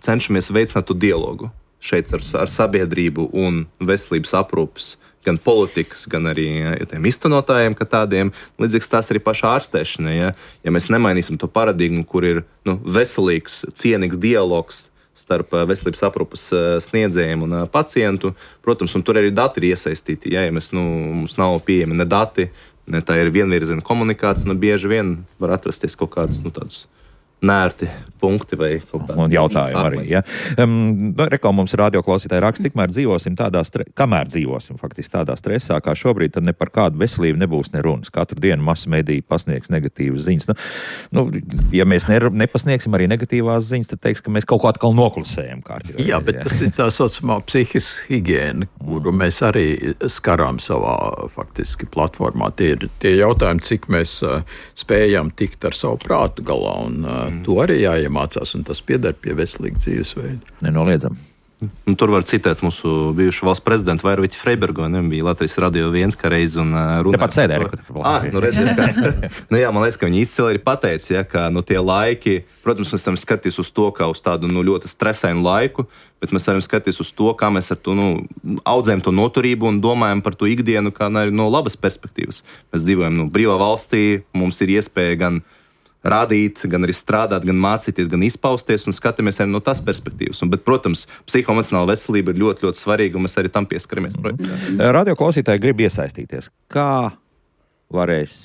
cenšamies veicināt to dialogu šeit ar, ar sabiedrību un veselības aprūpes, gan politikas, gan arī ja, tiem iztenotājiem, kā tādiem. Līdzīgs tās arī pašā ārstēšanai. Ja, ja mēs nemainīsim to paradigmu, kur ir nu, veselīgs, cienīgs dialogs starp veselības aprūpas sniedzējiem un pacientu. Protams, un tur arī dati ir iesaistīti. Ja, ja mēs, nu, mums nav pieejami ne dati, ne tā ir vienvirziena komunikācija, nu bieži vien var atrasties kaut kādas, nu, tādas nērti punkti vai kaut kādi. Un jautājumi arī, ja. Um, Reko mums radioklausītāji raksta, tikmēr dzīvosim tādā, stre... kamēr dzīvosim faktiski tādā stresā, kā šobrīd, tad ne par kādu veselību nebūs ne runas. Katru dienu masu mediji pasniegs negatīvas ziņas. Nu, nu, ja mēs ne, nepasniegsim arī negatīvās ziņas, tad teiks, ka mēs kaut ko atkal noklusējam kārtībā. Jā, bet tas ir tā saucamā psihiska higiēna, kuru mēs arī skarām savā faktiski platformā. Tie ir tie jautājumi, cik mēs uh, spējam tikt ar savu prātu galā un uh, to arī jāiemācās, un tas pieder pie veselīga dzīvesveida. Nenoliedzam. Un tur var citēt mūsu bijušu valsts prezidentu Vairoviķu Freibergu, ne, bija Latvijas radio viens kā reiz un uh, runāja. Tepat sēdē. Ah, nu redziet, ka, nu jā, man liekas, ka viņi izcili ir pateicis, ja, ka nu tie laiki, protams, mēs esam skatījis uz to, kā uz tādu nu, ļoti stresainu laiku, bet mēs varam skatīties uz to, kā mēs ar to nu, audzējam to noturību un domājam par to ikdienu, kā no labas perspektīvas. Mēs dzīvojam nu, brīvā valstī, mums ir iespēja gan rādīt, gan arī strādāt, gan mācīties, gan izpausties un skatāmies arī no tās perspektīvas. Un, bet, protams, psihoemocionāla veselība ir ļoti, ļoti svarīga un mēs arī tam pieskaramies. Mm-hmm. Radio klausītāji grib iesaistīties. Kā varēs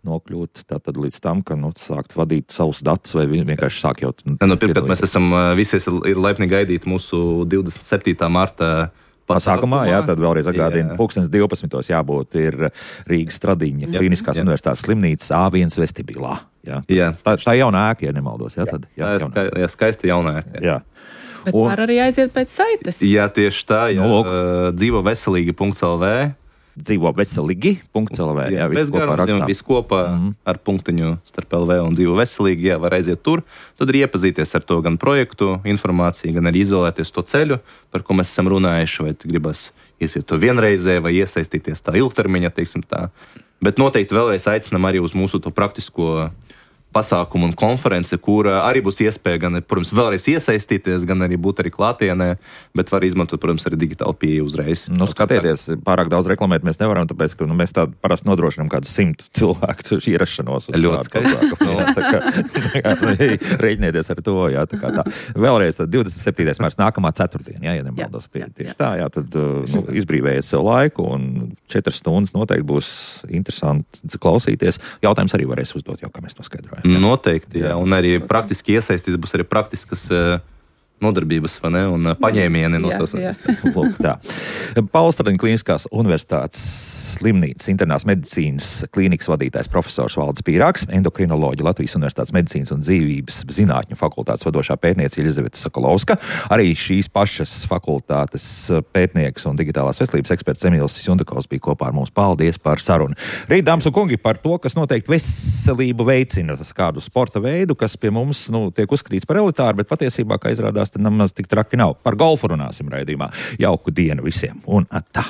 nokļūt tātad līdz tam, ka nu, sākt vadīt savus datus vai vienkārši sāk jau... Nu, pirmkārt, mēs esam visies ir laipni gaidīt mūsu divdesmit septītā marta pasākumā, jā, tad vēlreiz atgādina, pulkstens divpadsmitos jābūt ir Rīgas Stradiņa Kliniskās universitātes slimnīcas A viens vestibilā. Jā. Jā. Tā, tā jauna ēka, ja nemaldos. Jā, tad, jā, jā, ska, jā skaista jauna ēka. Jā. Bet un, var arī aiziet pēc saites. Jā, tieši tā. Jā, nu, dzīvo veselīgi punkt el vē. Dzīvo veselīgi punkt el vē. Jā, visu kopā rakstām. Visu kopā mm-hmm. ar punktiņu starp L V un dzīvo veselīgi. Jā, var aiziet tur. Tad arī iepazīties ar to gan projektu, informāciju, gan arī izolēties to ceļu, par ko mēs esam runājuši, vai gribas iesiet to vienreizē, vai iesaistīties tā ilgtermiņa, teiksim tā. Bet noteikti vēlreiz aicinam arī uz mūsu to praktisko pasākumu un konferenci, kur arī būs iespēja gan, protams, vēlreiz iesaistīties, gan arī būt arī klātienē, bet var izmantot, protams, arī digitāli pieeju uzreiz. Nu, skatieties, pārāk daudz reklamēt mēs nevaram, tāpēc, ka nu, mēs tādu parasti nodrošinām kādu simtu cilvēku ierašanos. Ļoti skaisti. No, tā kā, tā kā nu, reiķinieties ar to, jā, tā kā tā. Vēlreiz tad divdesmit septītais mārts nākamā ceturtdiena, jā, ja nemaldos pie tieši jā. Tā, jā, tad nu, izbrīvējiet sev laiku un četras stundas noteikti būs interesanti klausīties. Jautājums arī varēs uzdot, jau kā mēs noskaidrojam. Jā. Noteikti, jā, un arī praktiski iesaistīs būs arī praktiskas uh, nodarbības, vai ne, un uh, paņēmieni no savas. Lūk, tā. Pauls Stradiņa Kliniskās universitātes slimnīcas internās medicīnas klīnikas vadītājs profesors Valdis Pīrāgs, endokrinoloģija Latvijas Universitātes medicīnas un dzīvības zinātņu fakultātes vadošā pētniece Elizaveta Sokolovska, arī šīs pašas fakultātes pētnieks un digitālās veselības eksperts Emīls Jundakovs bija kopā ar mums. Paldies par sarunu. Rīt, dāmas un kungi, par to, kas noteikti veselību veicina, kādu sporta veidu, kas pie mums nu, tiek uzskatīts par elitāru, bet patiesībā, kā izrādās, tad nemaz tik traki nav. Par golfu runāsim raidījumā. Jauku dienu visiem un atā!